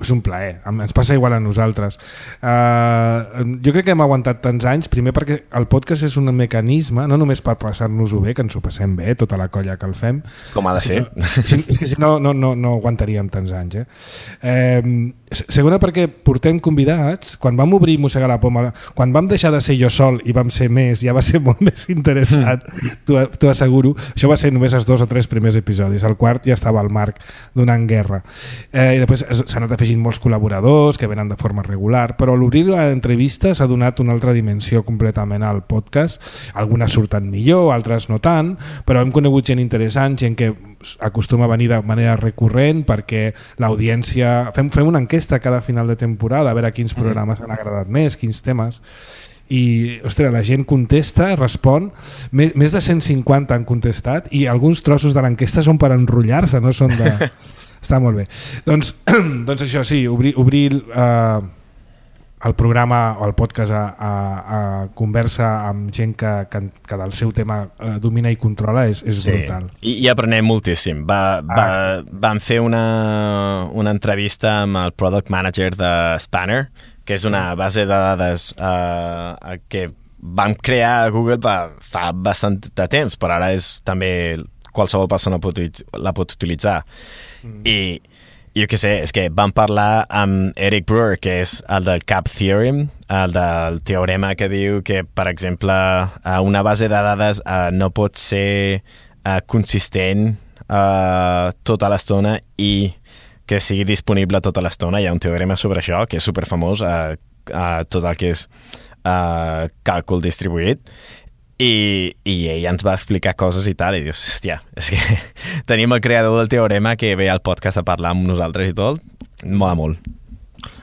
Speaker 1: és un plaer, ens passa igual a nosaltres. Uh, jo crec que hem aguantat tants anys, primer perquè el podcast és un mecanisme, no només per passar-nos-ho bé, que ens ho passem bé, tota la colla que el fem,
Speaker 2: com ha de ser,
Speaker 1: si, és que si no, no, no, no aguantaríem tants anys. Eh? Uh, segona perquè portem convidats, quan vam obrir Mossegar la Poma, quan vam deixar de ser jo sol i vam ser més, ja va ser molt més interessant, mm. t'ho asseguro. Això va ser només els dos o tres primers episodis, el quart ja estava al Marc donant guerra. Eh, i després s'han anat afegint molts col·laboradors que venen de forma regular, però a l'obrir l'entrevista s'ha donat una altra dimensió completament al podcast. Algunes surten millor, altres no tant, però hem conegut gent interessant, gent que acostuma a venir de manera recurrent perquè l'audiència... Fem, fem una enquesta cada final de temporada a veure quins programes han agradat més, quins temes, i ostres, la gent contesta, respon, més, més de cent cinquanta han contestat i alguns trossos de l'enquesta són per enrotllar-se, no són de... Està molt bé. Doncs, doncs això, sí, obrir, obrir eh, el programa o el podcast a, a, a conversa amb gent que, que, que del seu tema eh, domina i controla és, és sí. brutal.
Speaker 2: I, i aprenem moltíssim. Va, va, ah. Vam fer una, una entrevista amb el Product Manager de Spanner, que és una base de dades eh, que vam crear a Google fa bastant de temps, però ara és també qualsevol persona pot, la pot utilitzar. Mm. I jo què sé, és que vam parlar amb Eric Brewer, que és el del Cap Theorem, el del teorema que diu que, per exemple, una base de dades uh, no pot ser uh, consistent uh, tota l'estona i que sigui disponible tota l'estona. Hi ha un teorema sobre això que és superfamós, uh, uh, tot el que és uh, càlcul distribuït. I, i ell ens va explicar coses i tal, i dius, hòstia, és que tenim el creador del teorema que ve al podcast a parlar amb nosaltres i tot, mola molt.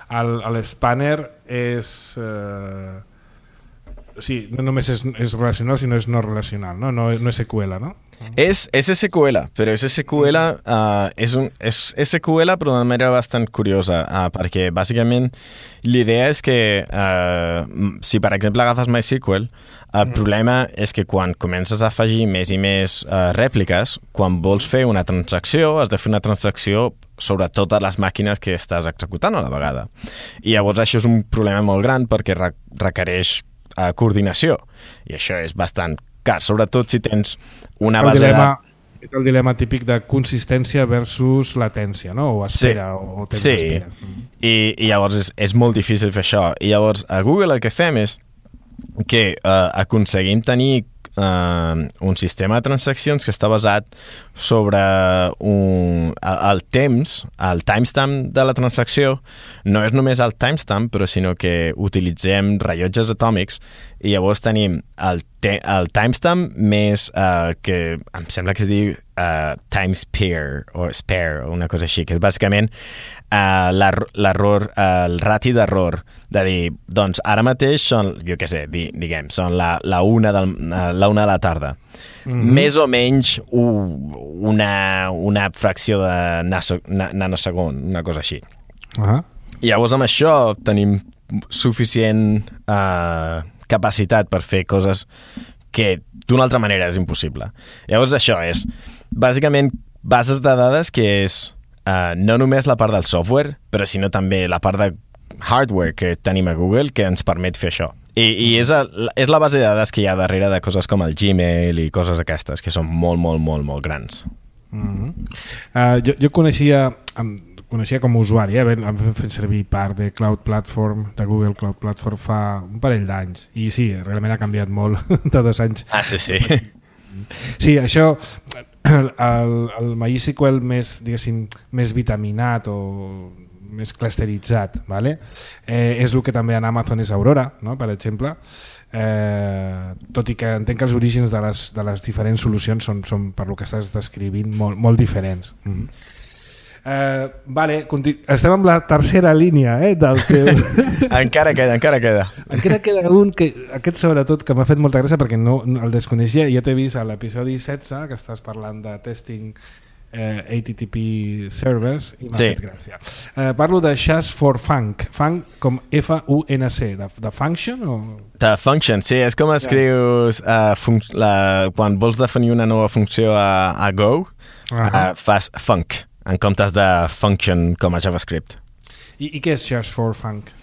Speaker 1: L'Spanner és... Eh... Sí, no només és, és relacional, sinó és no relacional, no? No, no és S Q L, no?
Speaker 2: És, és S Q L, però és S Q L, uh, és, un, és S Q L però d'una manera bastant curiosa, uh, perquè bàsicament l'idea és que uh, si per exemple agafes MySQL, el mm. problema és que quan comences a afegir més i més uh, rèpliques, quan vols fer una transacció, has de fer una transacció sobre totes les màquines que estàs executant a la vegada. I llavors això és un problema molt gran perquè re requereix uh, coordinació, i això és bastant car, sobretot si tens una
Speaker 1: el
Speaker 2: base
Speaker 1: dilema,
Speaker 2: de...
Speaker 1: el dilema típic de consistència versus latència, no? O espera, sí. o, o temps
Speaker 2: sí.
Speaker 1: d'espera.
Speaker 2: I, i llavors és, és molt difícil fer això. I llavors a Google el que fem és que uh, aconseguim tenir uh, un sistema de transaccions que està basat sobre un, el, el temps, el timestamp de la transacció. No és només el timestamp, però sinó que utilitzem rellotges atòmics i llavors tenim el, te el timestamp més uh, que em sembla que es diu uh, time spare o spare o una cosa així, que és bàsicament uh, l'error, uh, el rati d'error de dir, doncs ara mateix són, jo què sé, di, diguem, són la, la, una del, uh, la una de la tarda. Mm-hmm. Més o menys uh, una, una fracció de naso, na, nanosegon, una cosa així.
Speaker 1: Uh-huh.
Speaker 2: I llavors amb això tenim suficient uh, capacitat per fer coses que d'una altra manera és impossible. Llavors això és bàsicament bases de dades que és uh, no només la part del software, però sinó també la part de hardware que tenim a Google que ens permet fer això. I, i és, el, és la base de dades que hi ha darrere de coses com el Gmail i coses aquestes, que són molt, molt, molt, molt grans.
Speaker 1: Mm-hmm. uh, jo, jo coneixia... Um, coneixia com a usuari, eh? Vam fer servir part de Cloud Platform, de Google Cloud Platform fa un parell d'anys, i sí, realment ha canviat molt de dos anys.
Speaker 2: Ah, sí, sí.
Speaker 1: Sí, això, el, el MySQL més, diguéssim, més vitaminat o més clusteritzat, ¿vale? eh, és el que també en Amazon és Aurora, no? Per exemple, eh, tot i que entenc que els orígens de les, de les diferents solucions són, són per lo que estàs descrivint, molt, molt diferents. Mm-hmm. Uh, vale, estem amb la tercera línia eh, del teu...
Speaker 2: encara queda, encara queda.
Speaker 1: Encara queda un, que aquest sobretot, que m'ha fet molta gràcia perquè no, no el desconeixia. Ja t'he vist a l'episodi setze, que estàs parlant de testing eh, H T T P servers, i m'ha sí. fet gràcia. Eh, parlo de Shas for Funk, Funk com F U N C, de, de function? O...
Speaker 2: De function, sí, és com escrius uh, la, quan vols definir una nova funció a, a Go, uh-huh. uh, fas funk, en comptes de function com a JavaScript.
Speaker 1: I, i què és Shas for Funk?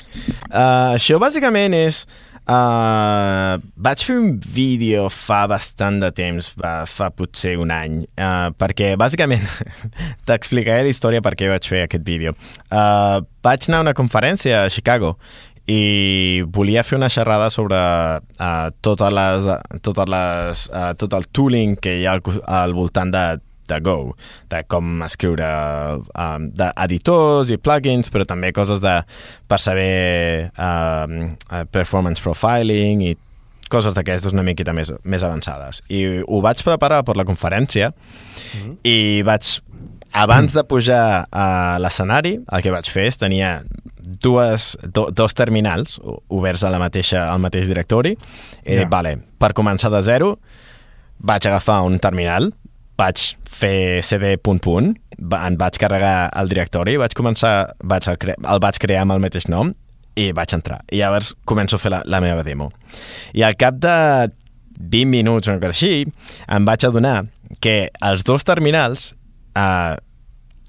Speaker 2: Uh, això bàsicament és... Uh, vaig fer un vídeo fa bastant de temps, va, fa potser un any, uh, perquè bàsicament t'explicaré la història per què vaig fer aquest vídeo. Uh, vaig anar a una conferència a Chicago i volia fer una xerrada sobre uh, totes les, totes les, uh, tot el tooling que hi ha al, al voltant de de Go, de com escriure um, d'editors i plugins, però també coses de, per saber um, performance profiling i coses d'aquestes una miqueta més, més avançades. I ho vaig preparar per la conferència mm-hmm. i vaig, abans de pujar a l'escenari, el que vaig fer és tenia dues, do, dos terminals oberts a la mateixa, al mateix directori i yeah. vale, per començar de zero vaig agafar un terminal, vaig fer cd punt punt, em vaig carregar el directori, vaig començar, vaig el, cre el vaig crear amb el mateix nom i vaig entrar. I llavors començo a fer la, la meva demo. I al cap de vint minuts o una cosa així, em vaig adonar que els dos terminals eh,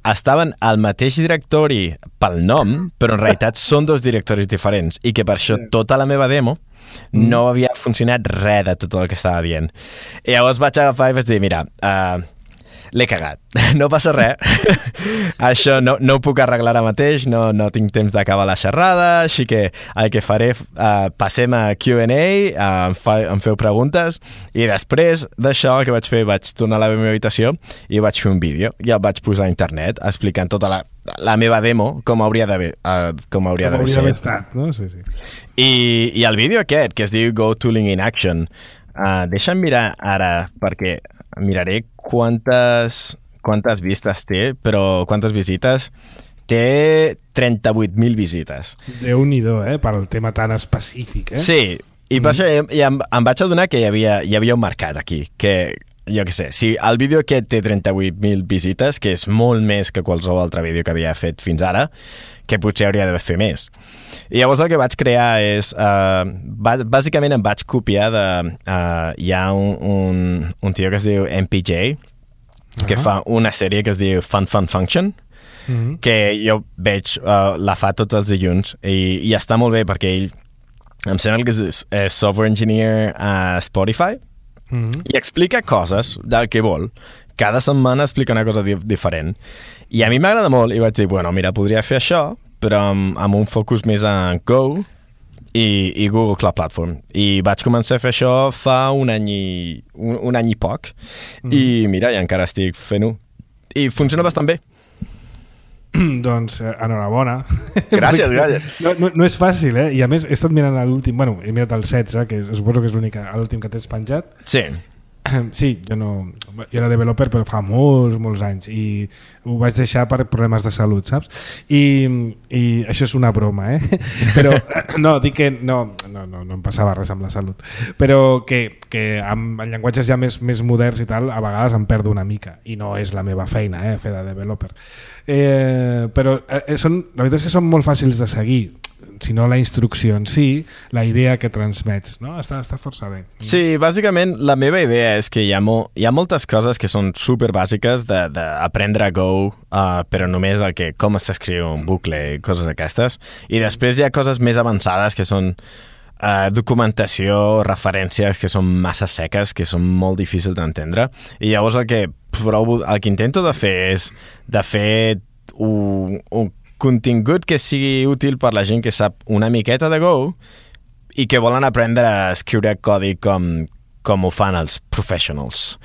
Speaker 2: estaven al mateix directori pel nom, però en realitat són dos directoris diferents i que per això tota la meva demo Mm. no havia funcionat res de tot el que estava dient. I llavors vaig agafar i vaig dir, mira, uh, l'he cagat, no passa res, això no, no ho puc arreglar ara mateix, no, no tinc temps d'acabar la xerrada, així que el que faré, uh, passem a Q and A, uh, em, fa, em feu preguntes, i després d'això el que vaig fer, vaig tornar a la meva habitació i vaig fer un vídeo, i el vaig posar a internet explicant tota la la meva demo com hauria d'haver uh, com hauria d'haver
Speaker 1: com estat, no? Sí, sí.
Speaker 2: I, i el vídeo aquest que es diu Go Tooling in Action, uh, deixa'm mirar ara perquè miraré quantes quantes vistes té, però quantes visites té. Trenta-vuit mil visites.
Speaker 1: Déu-n'hi-do, eh? Per al tema tan específic, eh?
Speaker 2: Sí, i per això mm. em, em vaig adonar que hi havia, hi havia un mercat aquí, que jo què sé, si el vídeo aquest té trenta-vuit mil visites, que és molt més que qualsevol altre vídeo que havia fet fins ara, que potser hauria d'haver fet més. I llavors el que vaig crear és... Uh, bàsicament em vaig copiar de... Uh, hi ha un, un, un tio que es diu M P J, uh-huh. que fa una sèrie que es diu Fun Fun Function, uh-huh. que jo veig, uh, la fa tots els dilluns, i, i està molt bé perquè ell em sembla que és, és software engineer a Spotify, Mm-hmm. i explica coses del que vol. Cada setmana explica una cosa di diferent. I a mi m'agrada molt i vaig dir, bueno, mira, podria fer això, però amb, amb un focus més en Go i, i Google Cloud Platform. I vaig començar a fer això fa un any i, un, un any i poc. Mm-hmm. I mira, i encara estic fent-ho. I funciona bastant bé.
Speaker 1: Doncs eh, enhorabona.
Speaker 2: Gràcies, gràcies.
Speaker 1: No, no, no és fàcil, eh? I a més he estat mirant l'últim, bueno, he mirat el setze, que suposo que és l'únic, l'últim que tens penjat.
Speaker 2: Sí.
Speaker 1: Sí, jo no... Jo era developer, però fa molts, molts anys, i ho vaig deixar per problemes de salut, saps? I, i això és una broma, eh? Però, no, dic que no, no, no, no em passava res amb la salut, però que, que amb llenguatges ja més, més moderns i tal, a vegades em perdo una mica, i no és la meva feina, eh, fer de developer. Eh, però eh, són, la veritat és que són molt fàcils de seguir, si no la instrucció en si, la idea que transmets, no? Està, està força bé.
Speaker 2: Sí, bàsicament la meva idea és que hi ha, mo hi ha moltes coses que són super bàsiques d'aprendre a Go, uh, però només el que, com s'escriu un bucle i coses d'aquestes, i després hi ha coses més avançades que són uh, documentació, referències que són massa seques, que són molt difícils d'entendre, i llavors el que provo, el que intento de fer és de fer un, un contingut que sigui útil per la gent que sap una miqueta de Go i que volen aprendre a escriure codi com, com ho fan els professionals.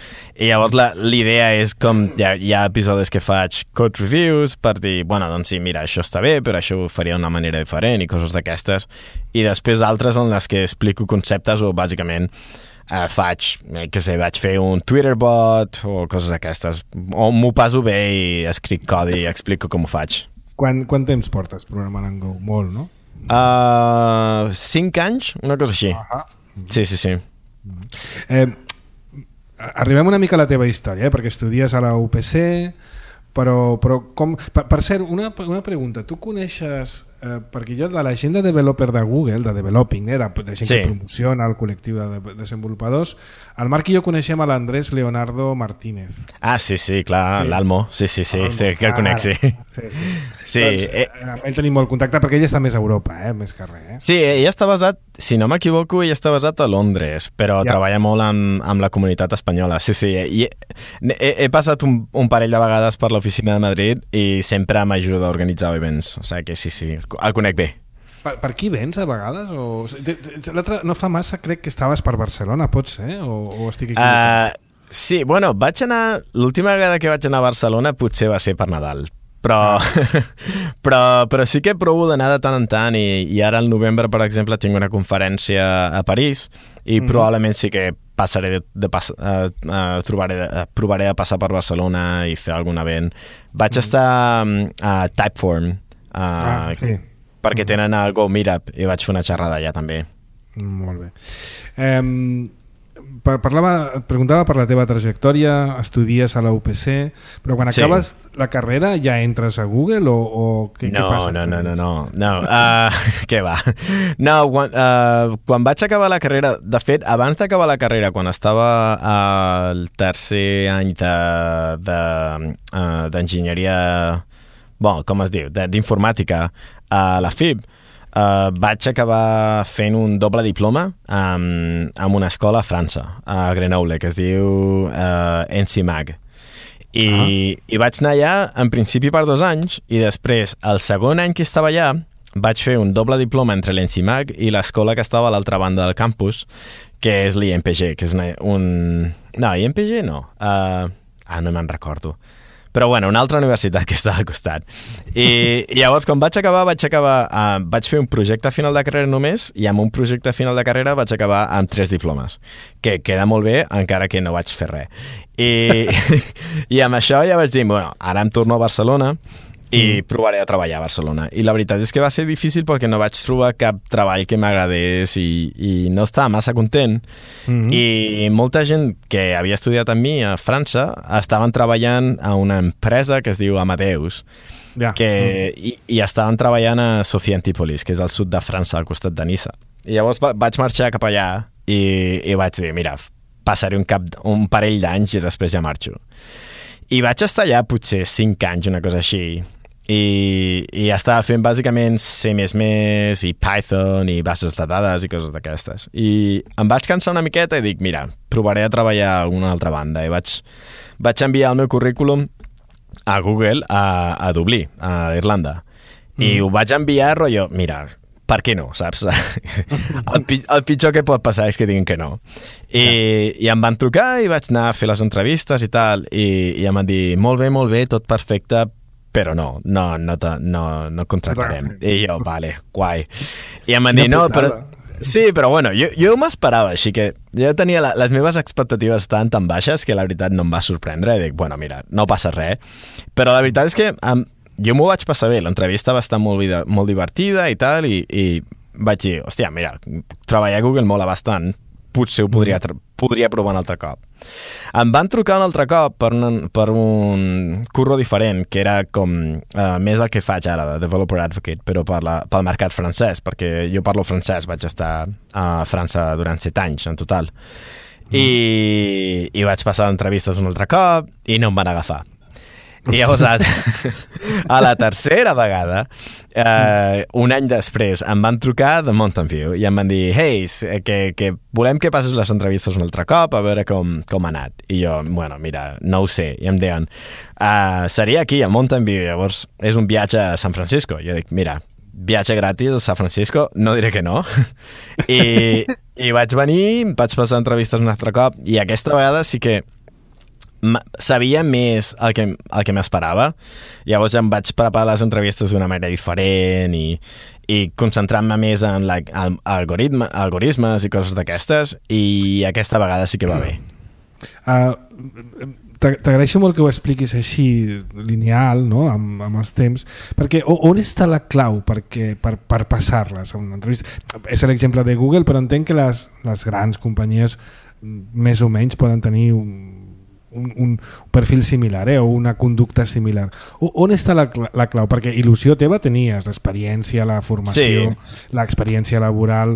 Speaker 2: I llavors l'idea és com hi ha, hi ha episodis que faig code reviews per dir, bueno, doncs sí, mira, això està bé, però això ho faria d'una manera diferent i coses d'aquestes. I després altres en les que explico conceptes o bàsicament uh, faig, eh, que sé, vaig fer un Twitter bot o coses d'aquestes, o m'ho passo bé i escric codi i explico com ho faig.
Speaker 1: Quan, quant temps portes programant en Go? Molt, no?
Speaker 2: Uh, cinc anys, una cosa així. Uh-huh. Sí, sí, sí.
Speaker 1: Eh, arribem una mica a la teva història, eh? Perquè estudies a la U P C, però, però com... Per, per cert, una, una pregunta. Tu coneixes... Eh, perquè jo, de la gent de developer de Google, de developing, eh, de, de gent sí. que promociona el col·lectiu de, de desenvolupadors, el Marc i jo coneixem a l'Andrés Leonardo Martínez.
Speaker 2: Ah, sí, sí, clar, sí. l'Almo. Sí, sí, sí, sí, que el conec, sí. Sí, sí. sí
Speaker 1: doncs, eh, amb ell tenim molt contacte perquè ell està més a Europa, eh, més que res. Eh?
Speaker 2: Sí, ell està basat, si no m'equivoco, ell està basat a Londres, però ja. treballa molt amb, amb la comunitat espanyola. Sí, sí, i he, he passat un, un parell de vegades per l'oficina de Madrid i sempre m'ajuda a organitzar events, o sigui que sí, sí, el conec bé.
Speaker 1: Per, per aquí vens a vegades? O... L'altre no fa massa crec que estaves per Barcelona, pot ser? O, o estic equivocat?
Speaker 2: Uh, sí, bueno, vaig anar... L'última vegada que vaig anar a Barcelona potser va ser per Nadal. Però, ah. però, però sí que provo d'anar de tant en tant i, i ara al novembre, per exemple, tinc una conferència a París i mm. probablement sí que passaré de, de pas, uh, uh, trobaré, uh, provaré de passar per Barcelona i fer algun event. Vaig mm. estar um, a Typeform, uh,
Speaker 1: ah, sí.
Speaker 2: perquè tenen el Go Meetup i vaig fer una xerrada allà també.
Speaker 1: Molt bé. Eh, parlava, et preguntava per la teva trajectòria, estudies a la U P C, però quan sí. acabes la carrera ja entres a Google o, o què,
Speaker 2: no,
Speaker 1: què passa?
Speaker 2: No, no, no, no, no. Uh, què va? No, quan, uh, quan vaig acabar la carrera, de fet, abans d'acabar la carrera, quan estava al tercer any de, de, uh, d'enginyeria, bon, com es diu, d'informàtica a la F I B, Uh, vaig acabar fent un doble diploma um, en una escola a França, a Grenoble, que es diu uh, ENSIMAG. I, uh-huh. I vaig anar allà, en principi, per dos anys, i després, el segon any que estava allà, vaig fer un doble diploma entre l'ENSIMAG i l'escola que estava a l'altra banda del campus, que és l'I M P G, que és una, un... No, I M P G no. Uh... Ah, no me'n recordo. Però bueno, una altra universitat que està al costat. I, i llavors, quan vaig acabar, vaig acabar, uh, vaig fer un projecte final de carrera només, i amb un projecte final de carrera vaig acabar amb tres diplomes, que queda molt bé, encara que no vaig fer res. I, i amb això ja vaig dir, bueno, ara em torno a Barcelona i mm. provaré a treballar a Barcelona. I la veritat és que va ser difícil perquè no vaig trobar cap treball que m'agradés i, i no estava massa content. Mm-hmm. I molta gent que havia estudiat amb mi a França estaven treballant a una empresa que es diu Amadeus, yeah. que, mm. i, i estaven treballant a Sofia Antipolis, que és al sud de França, al costat de Niça. I llavors va, vaig marxar cap allà i, i vaig dir, mira, passaré un, cap, un parell d'anys i després ja marxo. I vaig estar allà potser cinc anys, una cosa així, i, i estava fent bàsicament C més més i Python i bases de dades i coses d'aquestes. I em vaig cansar una miqueta i dic, mira, provaré a treballar a alguna altra banda. I vaig, vaig enviar el meu currículum a Google a, a Dublí, a Irlanda. Mm. I ho vaig enviar, rotllo, mira, per què no, saps? el, el pitjor que pot passar és que diguin que no. I, yeah. i em van trucar i vaig anar a fer les entrevistes i tal, i, i em van dir, molt bé, molt bé, tot perfecte, però no, no, no, no, no contractarem. I jo, vale, guai. I em van dir, no, però... Sí, però bueno, jo, jo m'esperava, així que jo tenia la, les meves expectatives tan tan baixes que la veritat no em va sorprendre i dic, bueno, mira, no passa res. Però la veritat és que um, jo m'ho vaig passar bé, l'entrevista va estar molt, molt divertida i tal, i, i vaig dir, hòstia, mira, treballar a Google mola bastant, potser ho podria, podria provar un altre cop. Em van trucar un altre cop per un, per un curro diferent, que era com uh, més el que faig ara, de Developer Advocate, però per la, pel mercat francès, perquè jo parlo francès, vaig estar a França durant set anys en total. Mm. I, i vaig passar entrevistes un altre cop i no em van agafar. I llavors, a, a la tercera vegada, eh, un any després, em van trucar de Mountain View i em van dir, hey, que, que volem que passes les entrevistes un altre cop a veure com, com ha anat. I jo, bueno, mira, no ho sé. I em deien, uh, seria aquí, a Mountain View, llavors és un viatge a San Francisco. I jo dic, mira, viatge gratis a San Francisco, no diré que no. I, i vaig venir, vaig passar entrevistes un altre cop i aquesta vegada sí que sabia més el que, el que m'esperava. Llavors ja em vaig preparar les entrevistes d'una manera diferent i, i concentrant-me més en la, en algoritme, algoritmes i coses d'aquestes, i aquesta vegada sí que va bé.
Speaker 1: Uh, T'agraeixo molt que ho expliquis així lineal, no? amb, amb els temps, perquè on està la clau perquè, per, per passar-les a una entrevista? És l'exemple de Google, però entenc que les, les grans companyies més o menys poden tenir un, un, un perfil similar, eh? o una conducta similar. O, on està la, la clau? Perquè il·lusió teva tenies l'experiència, la formació, sí. l'experiència laboral.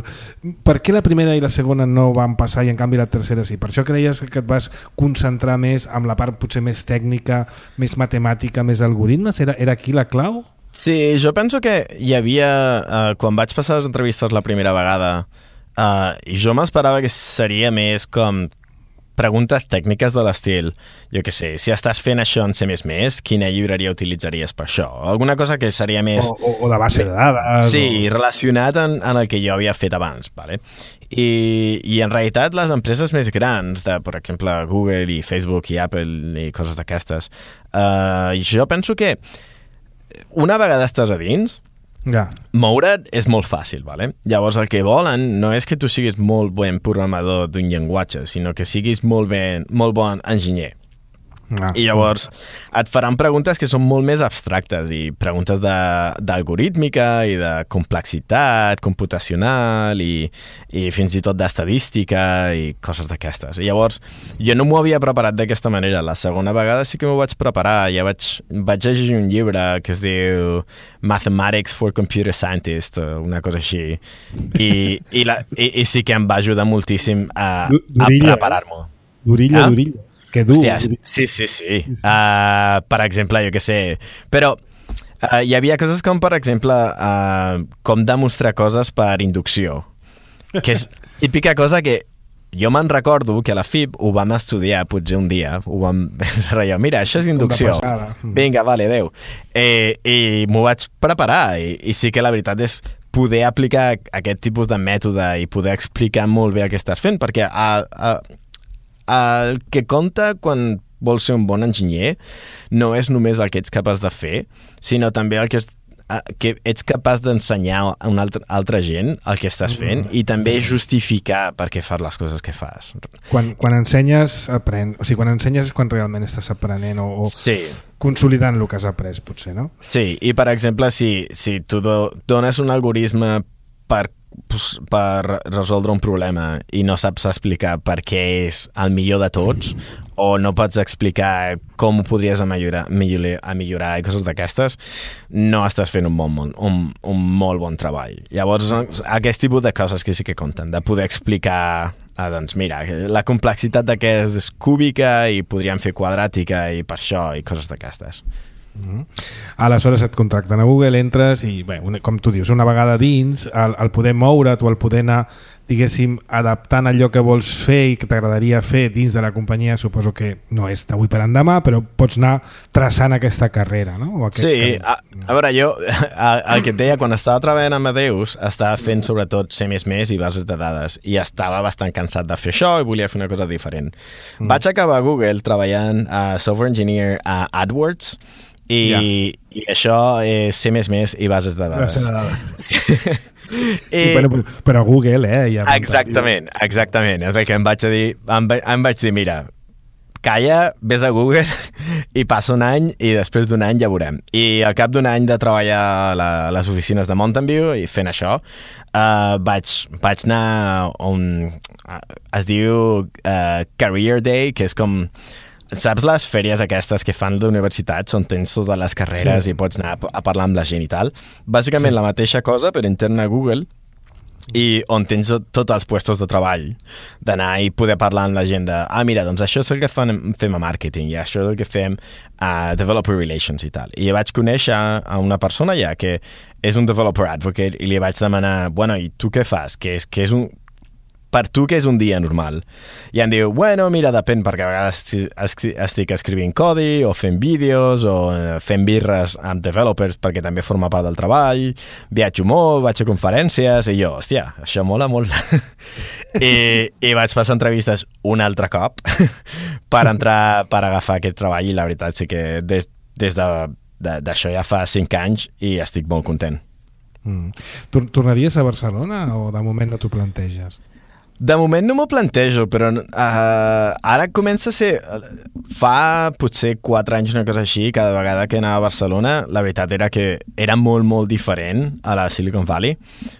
Speaker 1: Per què la primera i la segona no van passar i en canvi la tercera sí? Per això creies que et vas concentrar més amb la part potser més tècnica, més matemàtica, més algoritmes? Era, era aquí la clau?
Speaker 2: Sí, jo penso que hi havia... Eh, quan vaig passar les entrevistes la primera vegada, eh, jo m'esperava que seria més com preguntes tècniques de l'estil, jo què sé, si estàs fent això en C més més, quina llibreria utilitzaries per això? Alguna cosa que seria més...
Speaker 1: O, o, o de base de dades.
Speaker 2: Sí,
Speaker 1: o...
Speaker 2: relacionat en, en el que jo havia fet abans. Vale? I, I en realitat les empreses més grans, de, per exemple, Google i Facebook i Apple i coses d'aquestes, uh, jo penso que una vegada estàs a dins,
Speaker 1: ja.
Speaker 2: moure't és molt fàcil, vale? Llavors el que volen no és que tu siguis molt bon programador d'un llenguatge, sinó que siguis molt, ben, molt bon enginyer. Ah. I llavors et faran preguntes que són molt més abstractes i preguntes d'algorítmica i de complexitat computacional i, i fins i tot d'estadística i coses d'aquestes. I llavors jo no m'ho havia preparat d'aquesta manera. La segona vegada sí que m'ho vaig preparar. Ja vaig, vaig llegir un llibre que es diu Mathematics for Computer Scientists, una cosa així. I, i, la, i, i sí que em va ajudar moltíssim a, a preparar-m'ho.
Speaker 1: Durilla, ah? durilla. Que dur.
Speaker 2: Hòstia, sí, sí, sí. Uh, per exemple, jo què sé. Però uh, hi havia coses com, per exemple, uh, com demostrar coses per inducció. Que és típica cosa que jo me'n recordo que a la F I B ho vam estudiar potser un dia. Ho vam pensar allò, mira, això és inducció. Vinga, vale, adeu. Eh, I m'ho vaig preparar. I, I sí que la veritat és poder aplicar aquest tipus de mètode i poder explicar molt bé el que estàs fent, perquè a, a, el que compta quan vols ser un bon enginyer no és només el que ets capaç de fer, sinó també el que, és, que ets capaç d'ensenyar a una altra, altra gent el que estàs fent i també justificar per què fas les coses que fas.
Speaker 1: Quan, quan ensenyes, apren... o sigui, quan ensenyes és quan realment estàs aprenent o, o
Speaker 2: sí.
Speaker 1: consolidant el que has après, potser, no?
Speaker 2: Sí, i per exemple, si, si tu do, dones un algoritme per per resoldre un problema i no saps explicar per què és el millor de tots o no pots explicar com ho podries millorar, millorar, millorar i coses d'aquestes, no estàs fent un, bon, un, un molt bon treball. Llavors, aquest tipus de coses que sí que compten, de poder explicar ah, doncs mira, la complexitat d'aquest és cúbica i podríem fer quadràtica i per això i coses d'aquestes.
Speaker 1: Mm-hmm. Aleshores et contracten a Google, entres i bé, una, com tu dius, una vegada dins el, el poder moure't o el poder anar, diguéssim, adaptant allò que vols fer i que t'agradaria fer dins de la companyia, suposo que no és d'avui per endemà, però pots anar traçant aquesta carrera, no? O aquest
Speaker 2: sí, a, a veure, jo el que et deia, quan estava treballant amb Amadeus estava fent sobretot C més més i bases de dades i estava bastant cansat de fer això i volia fer una cosa diferent. Mm. Vaig acabar a Google treballant a Software Engineer a AdWords i, ja. i això és C més més i bases de dades.
Speaker 1: Bases de dades. I, I, però, però Google, eh? Ja
Speaker 2: exactament, exactament. És el que em vaig dir. Em, em vaig dir, mira, calla, vés a Google i passa un any i després d'un any ja veurem. I al cap d'un any de treballar a, la, a les oficines de Mountain View i fent això, uh, vaig, vaig anar a un... Uh, es diu uh, Career Day, que és com... Saps les fèries aquestes que fan d'universitats on tens totes les carreres sí. i pots anar a parlar amb la gent i tal? Bàsicament sí. la mateixa cosa, però interna a Google, i on tens tots els puestos de treball, d'anar i poder parlar amb la gent de, ah, mira, doncs això és el que fan, fem a màrqueting i això és el que fem a developer relations i tal. I vaig conèixer a una persona ja que és un developer advocate i li vaig demanar, bueno, i tu què fas? Que és, que és un... per tu què és un dia normal? I em diu, bueno, mira, depèn, perquè a vegades estic escrivint codi o fent vídeos o fent birres amb developers perquè també forma part del treball, viatjo molt, vaig a conferències, i jo, hòstia, això mola molt. I, i vaig passar entrevistes un altre cop per entrar, per agafar aquest treball, i la veritat sí que des, des de, de, d'això ja fa cinc anys i estic molt content.
Speaker 1: Mm. Tornaries a Barcelona o de moment no t'ho planteges?
Speaker 2: De moment no m'ho plantejo, però uh, ara comença a ser... Fa potser quatre anys, una cosa així, cada vegada que anava a Barcelona, la veritat era que era molt, molt diferent a la Silicon Valley.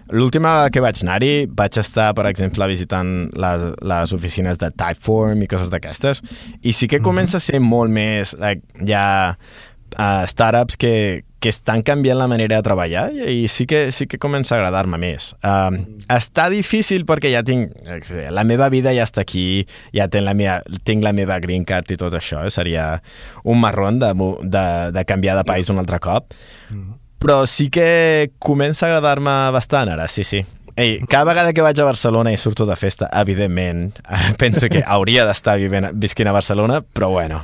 Speaker 2: L'última vegada que vaig anar-hi, vaig estar, per exemple, visitant les, les oficines de Typeform i coses d'aquestes, i sí que comença a ser molt més... Like, ja... Uh, startups que, que estan canviant la manera de treballar i sí que, sí que comença a agradar-me més. Uh, està difícil perquè ja tinc... La meva vida ja està aquí, ja tinc la meva, tinc la meva green card i tot això. Seria un marrón de, de, de canviar de país un altre cop. Però sí que comença a agradar-me bastant ara, sí, sí. Ei, cada vegada que vaig a Barcelona i surto de festa, evidentment, penso que hauria d'estar visquent a Barcelona, però bueno...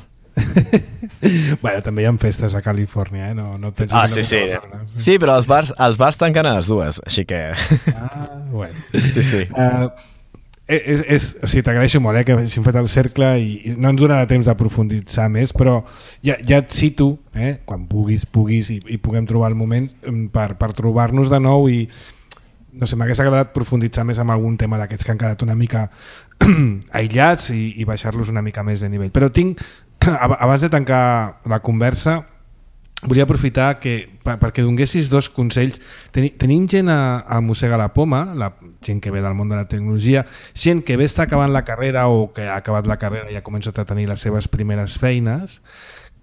Speaker 1: Bueno, també hi ha festes a Califòrnia, eh? No, no tens
Speaker 2: ah, sí, sí. Sí, però els bars, els bars tanquen a les dues, així que...
Speaker 1: Ah, bueno.
Speaker 2: Sí, sí.
Speaker 1: Uh, és, és, o sigui, t'agraeixo molt, eh, que hagin fet el cercle i, i no ens donarà temps de profunditzar més, però ja, ja et cito, eh, quan puguis, puguis i, i puguem trobar el moment per, per trobar-nos de nou i no sé, m'hagués agradat profunditzar més en algun tema d'aquests que han quedat una mica aïllats i, i baixar-los una mica més de nivell. Però tinc... Abans de tancar la conversa, volia aprofitar que, perquè donessis dos consells. Teni, tenim gent a, a Mossega la Poma, la gent que ve del món de la tecnologia, gent que bé està acabant la carrera o que ha acabat la carrera i ha començat a tenir les seves primeres feines,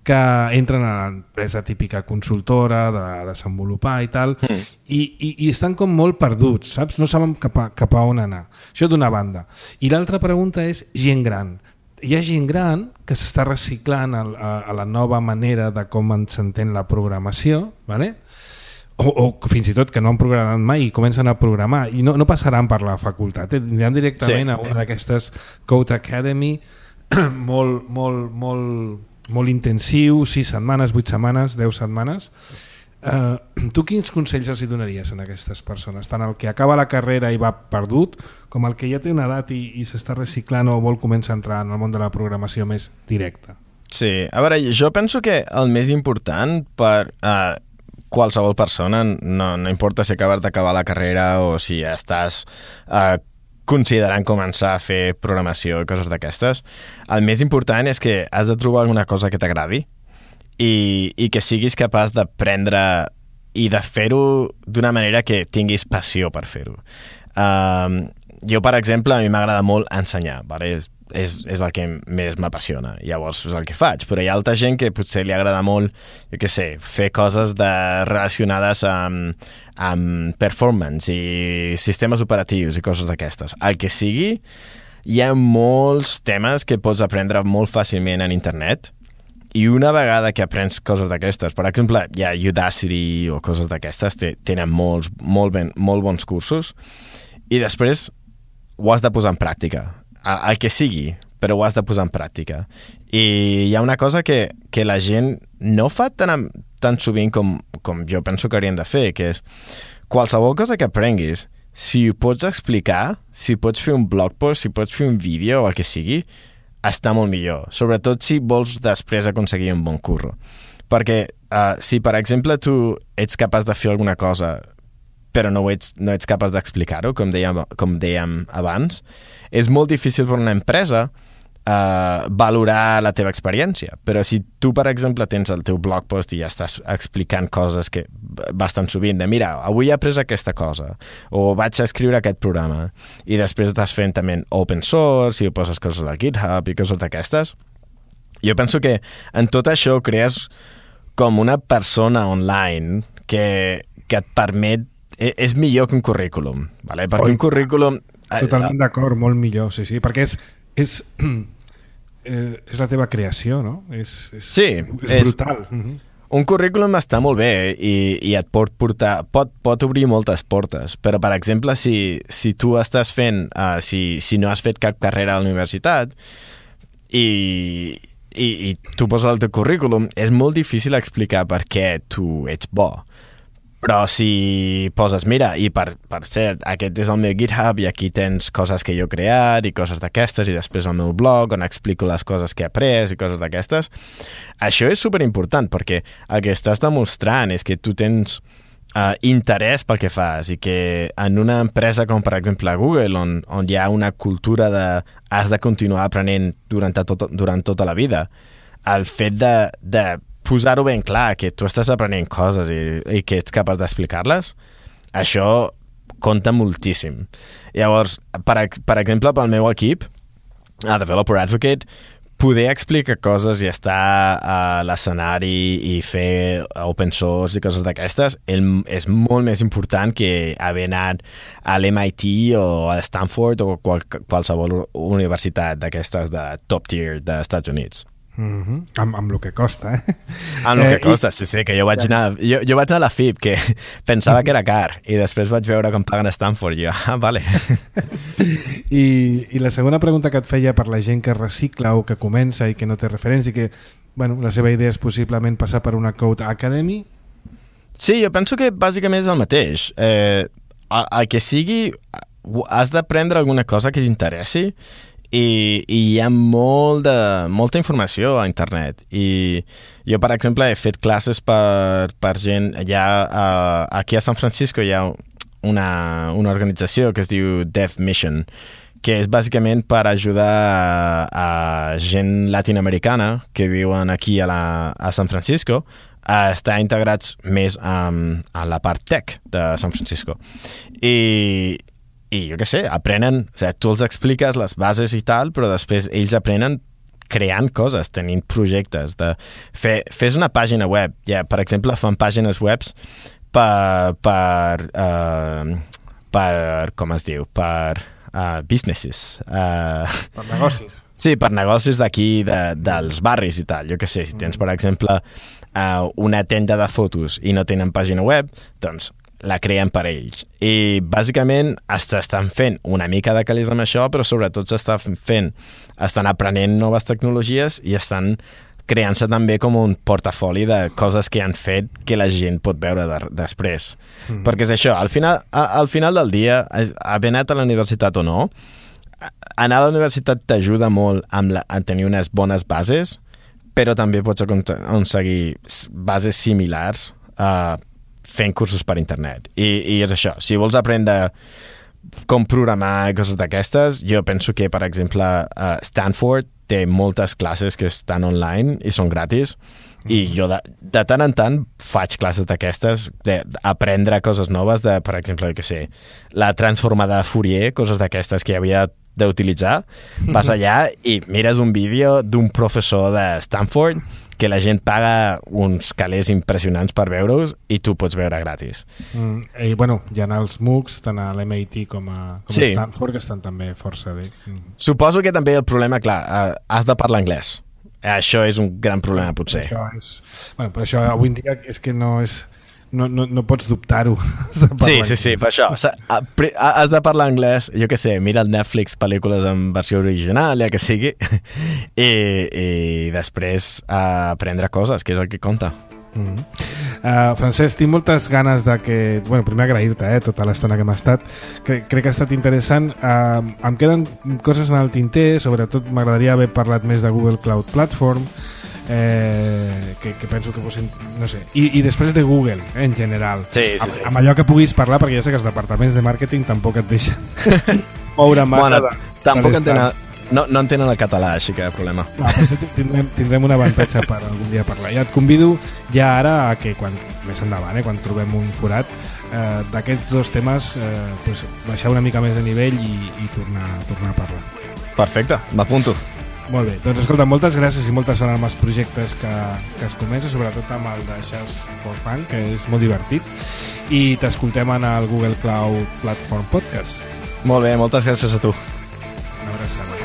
Speaker 1: que entren a l'empresa típica consultora de desenvolupar i tal, mm. i, i, i estan com molt perduts, saps? No saben cap a, cap a on anar. Això d'una banda. I l'altra pregunta és gent gran. Hi ha gent gran que s'està reciclant a, a, a la nova manera de com s'entén la programació, ¿vale? o, o fins i tot que no han programat mai i comencen a programar i no, no passaran per la facultat, eh? Aniran directament sí. a una d'aquestes Code Academy molt, molt, molt, molt intensiu, sis setmanes, vuit setmanes, deu setmanes. Uh, tu quins consells els hi donaries a aquestes persones, tant el que acaba la carrera i va perdut com el que ja té una edat i, i s'està reciclant o vol començar a entrar en el món de la programació més directa?
Speaker 2: Sí, a veure, jo penso que el més important per uh, qualsevol persona, no, no importa si acabes d'acabar la carrera o si ja estàs uh, considerant començar a fer programació i coses d'aquestes, el més important és que has de trobar alguna cosa que t'agradi I, i que siguis capaç d'aprendre i de fer-ho d'una manera que tinguis passió per fer-ho. Um, jo, per exemple, a mi m'agrada molt ensenyar, vale? és, és, és el que més m'apassiona, llavors és el que faig, però hi ha altra gent que potser li agrada molt, jo què sé, fer coses de, relacionades amb, amb performance i sistemes operatius i coses d'aquestes. El que sigui, hi ha molts temes que pots aprendre molt fàcilment en internet. I una vegada que aprens coses d'aquestes, per exemple, hi ha Udacity o coses d'aquestes, tenen molts, molt, ben, molt bons cursos, i després ho has de posar en pràctica. El que sigui, però ho has de posar en pràctica. I hi ha una cosa que, que la gent no fa tan, tan sovint com, com jo penso que haurien de fer, que és qualsevol cosa que aprenguis, si ho pots explicar, si pots fer un blog post, si pots fer un vídeo o el que sigui, està molt millor, sobretot si vols després aconseguir un bon curro. Perquè uh, si, per exemple, tu ets capaç de fer alguna cosa però no ets, no ets capaç d'explicar-ho, com dèiem, com dèiem abans, és molt difícil per una empresa uh, valorar la teva experiència. Però si tu, per exemple, tens el teu blog post i ja estàs explicant coses que bastant sovint, de mira, avui he après aquesta cosa, o vaig a escriure aquest programa, i després estàs fent també open source i poses coses al GitHub i coses d'aquestes, jo penso que en tot això crees com una persona online que, que et permet, és millor que un currículum, vale? Perquè Oi, un currículum...
Speaker 1: Totalment d'acord, molt millor, sí, sí, perquè és, és, eh, és la teva creació, no? És, és,
Speaker 2: sí,
Speaker 1: és brutal. És,
Speaker 2: un currículum està molt bé i, i et pot portar, pot, pot obrir moltes portes, però, per exemple, si, si tu estàs fent, uh, si, si no has fet cap carrera a la universitat i, i, i tu poses el teu currículum, és molt difícil explicar per què tu ets bo. Però si poses, mira, i per, per cert, aquest és el meu GitHub i aquí tens coses que jo he creat i coses d'aquestes, i després el meu blog on explico les coses que he après i coses d'aquestes, això és superimportant perquè el que estàs demostrant és que tu tens uh, interès pel que fas i que en una empresa com per exemple Google, on, on hi ha una cultura de has de continuar aprenent durant, tot, durant tota la vida, el fet de, de posar-ho ben clar, que tu estàs aprenent coses i, i que ets capaç d'explicar-les, això compta moltíssim. Llavors, per, per exemple, pel meu equip, a Developer Advocate, poder explicar coses i estar a l'escenari i fer open source i coses d'aquestes és molt més important que haver anat a l'M I T o a Stanford o qual, qualsevol universitat d'aquestes de top tier dels Estats Units.
Speaker 1: Mm-hmm. amb, amb el que costa, eh?
Speaker 2: Amb el que
Speaker 1: eh,
Speaker 2: costa,
Speaker 1: i...
Speaker 2: sí, sí, que jo vaig anar jo, jo vaig anar a la F I B, que pensava que era car i després vaig veure com paguen a Stanford i jo, ah, vale.
Speaker 1: I, i la segona pregunta que et feia per la gent que recicla o que comença i que no té referents i que, bueno, la seva idea és possiblement passar per una Code Academy.
Speaker 2: Sí, jo penso que bàsicament és el mateix. Eh, el que sigui, has d'aprendre alguna cosa que t'interessi i, i hi ha molt de, molta informació a internet i jo, per exemple, he fet classes per, per gent ja uh, aquí a San Francisco hi ha una, una organització que es diu Dev Mission, que és bàsicament per ajudar a, a gent latinoamericana que viuen aquí a, la, a San Francisco a estar integrats més um, a la part tech de San Francisco. I I jo què sé, aprenen, o sigui, tu els expliques les bases i tal, però després ells aprenen creant coses, tenint projectes. De fer, fes una pàgina web. Ja, per exemple, fan pàgines webs per, per, uh, per com es diu, per uh, businesses. Uh,
Speaker 1: per negocis.
Speaker 2: Sí, per negocis d'aquí, de, dels barris i tal. Jo què sé, si tens, per exemple, uh, una tenda de fotos i no tenen pàgina web, doncs la creen per ells. I bàsicament estan fent una mica de calés amb això, però sobretot s'està fent, estan aprenent noves tecnologies i estan creant-se també com un portafoli de coses que han fet que la gent pot veure de, després. Mm. Perquè és això, al final, a, al final del dia, haver anat a la universitat o no, anar a la universitat t'ajuda molt amb la, a tenir unes bones bases, però també pots aconseguir bases similars a uh, fent cursos per internet. I, i és això, si vols aprendre com programar i coses d'aquestes, jo penso que, per exemple, uh, Stanford té moltes classes que estan online i són gratis, mm-hmm. i jo de, de tant en tant faig classes d'aquestes, d'aprendre coses noves, de, per exemple, jo què sé, la transformada de Fourier, coses d'aquestes que havia d'utilitzar, vas allà i mires un vídeo d'un professor de Stanford que la gent paga uns calés impressionants per veure-us i tu pots veure gratis.
Speaker 1: Mm, I bueno, hi ha els MOOCs, tant a l'M I T com a, com sí. a Stanford, que estan també força bé. Mm.
Speaker 2: Suposo que també el problema, clar, uh, has de parlar anglès. Això és un gran problema, potser.
Speaker 1: Això és... Bueno, però això avui en dia és que no és... No, no, no pots dubtar-ho.
Speaker 2: Sí, sí, sí, per això. Has de parlar anglès, jo què sé, mira el Netflix pel·lícules en versió original, ja que sigui, i, i després uh, aprendre coses, que és el que compta.
Speaker 1: Mm-hmm. uh, Francesc, tinc moltes ganes de que... Bueno, primer agrair-te eh, tota l'estona que hem estat. Crec, crec que ha estat interessant. Uh, em queden coses en el tinter, sobretot m'agradaria haver parlat més de Google Cloud Platform, Eh, que, que penso que fos, no sé, i, i després de Google eh, en general,
Speaker 2: sí, sí,
Speaker 1: amb,
Speaker 2: sí.
Speaker 1: amb allò que puguis parlar, perquè ja sé que els departaments de màrqueting tampoc et deixen moure massa.
Speaker 2: Bueno, de, tampoc entenen, no, no entenen el català, així que problema.
Speaker 1: No, però tindrem, tindrem un avantatge per algun dia parlar. Ja et convido ja ara a que quan, més endavant, eh, quan trobem un forat eh, d'aquests dos temes, eh, pues, baixar una mica més de nivell i, i tornar, tornar a parlar.
Speaker 2: Perfecte, m'apunto.
Speaker 1: Molt bé, doncs escolta, moltes gràcies i moltes sort amb els projectes que, que es comença, sobretot amb el de Jazz for Fun, que és molt divertit, i t'escoltem en el Google Cloud Platform Podcast.
Speaker 2: Molt bé, moltes gràcies a tu.
Speaker 1: Una abraçada.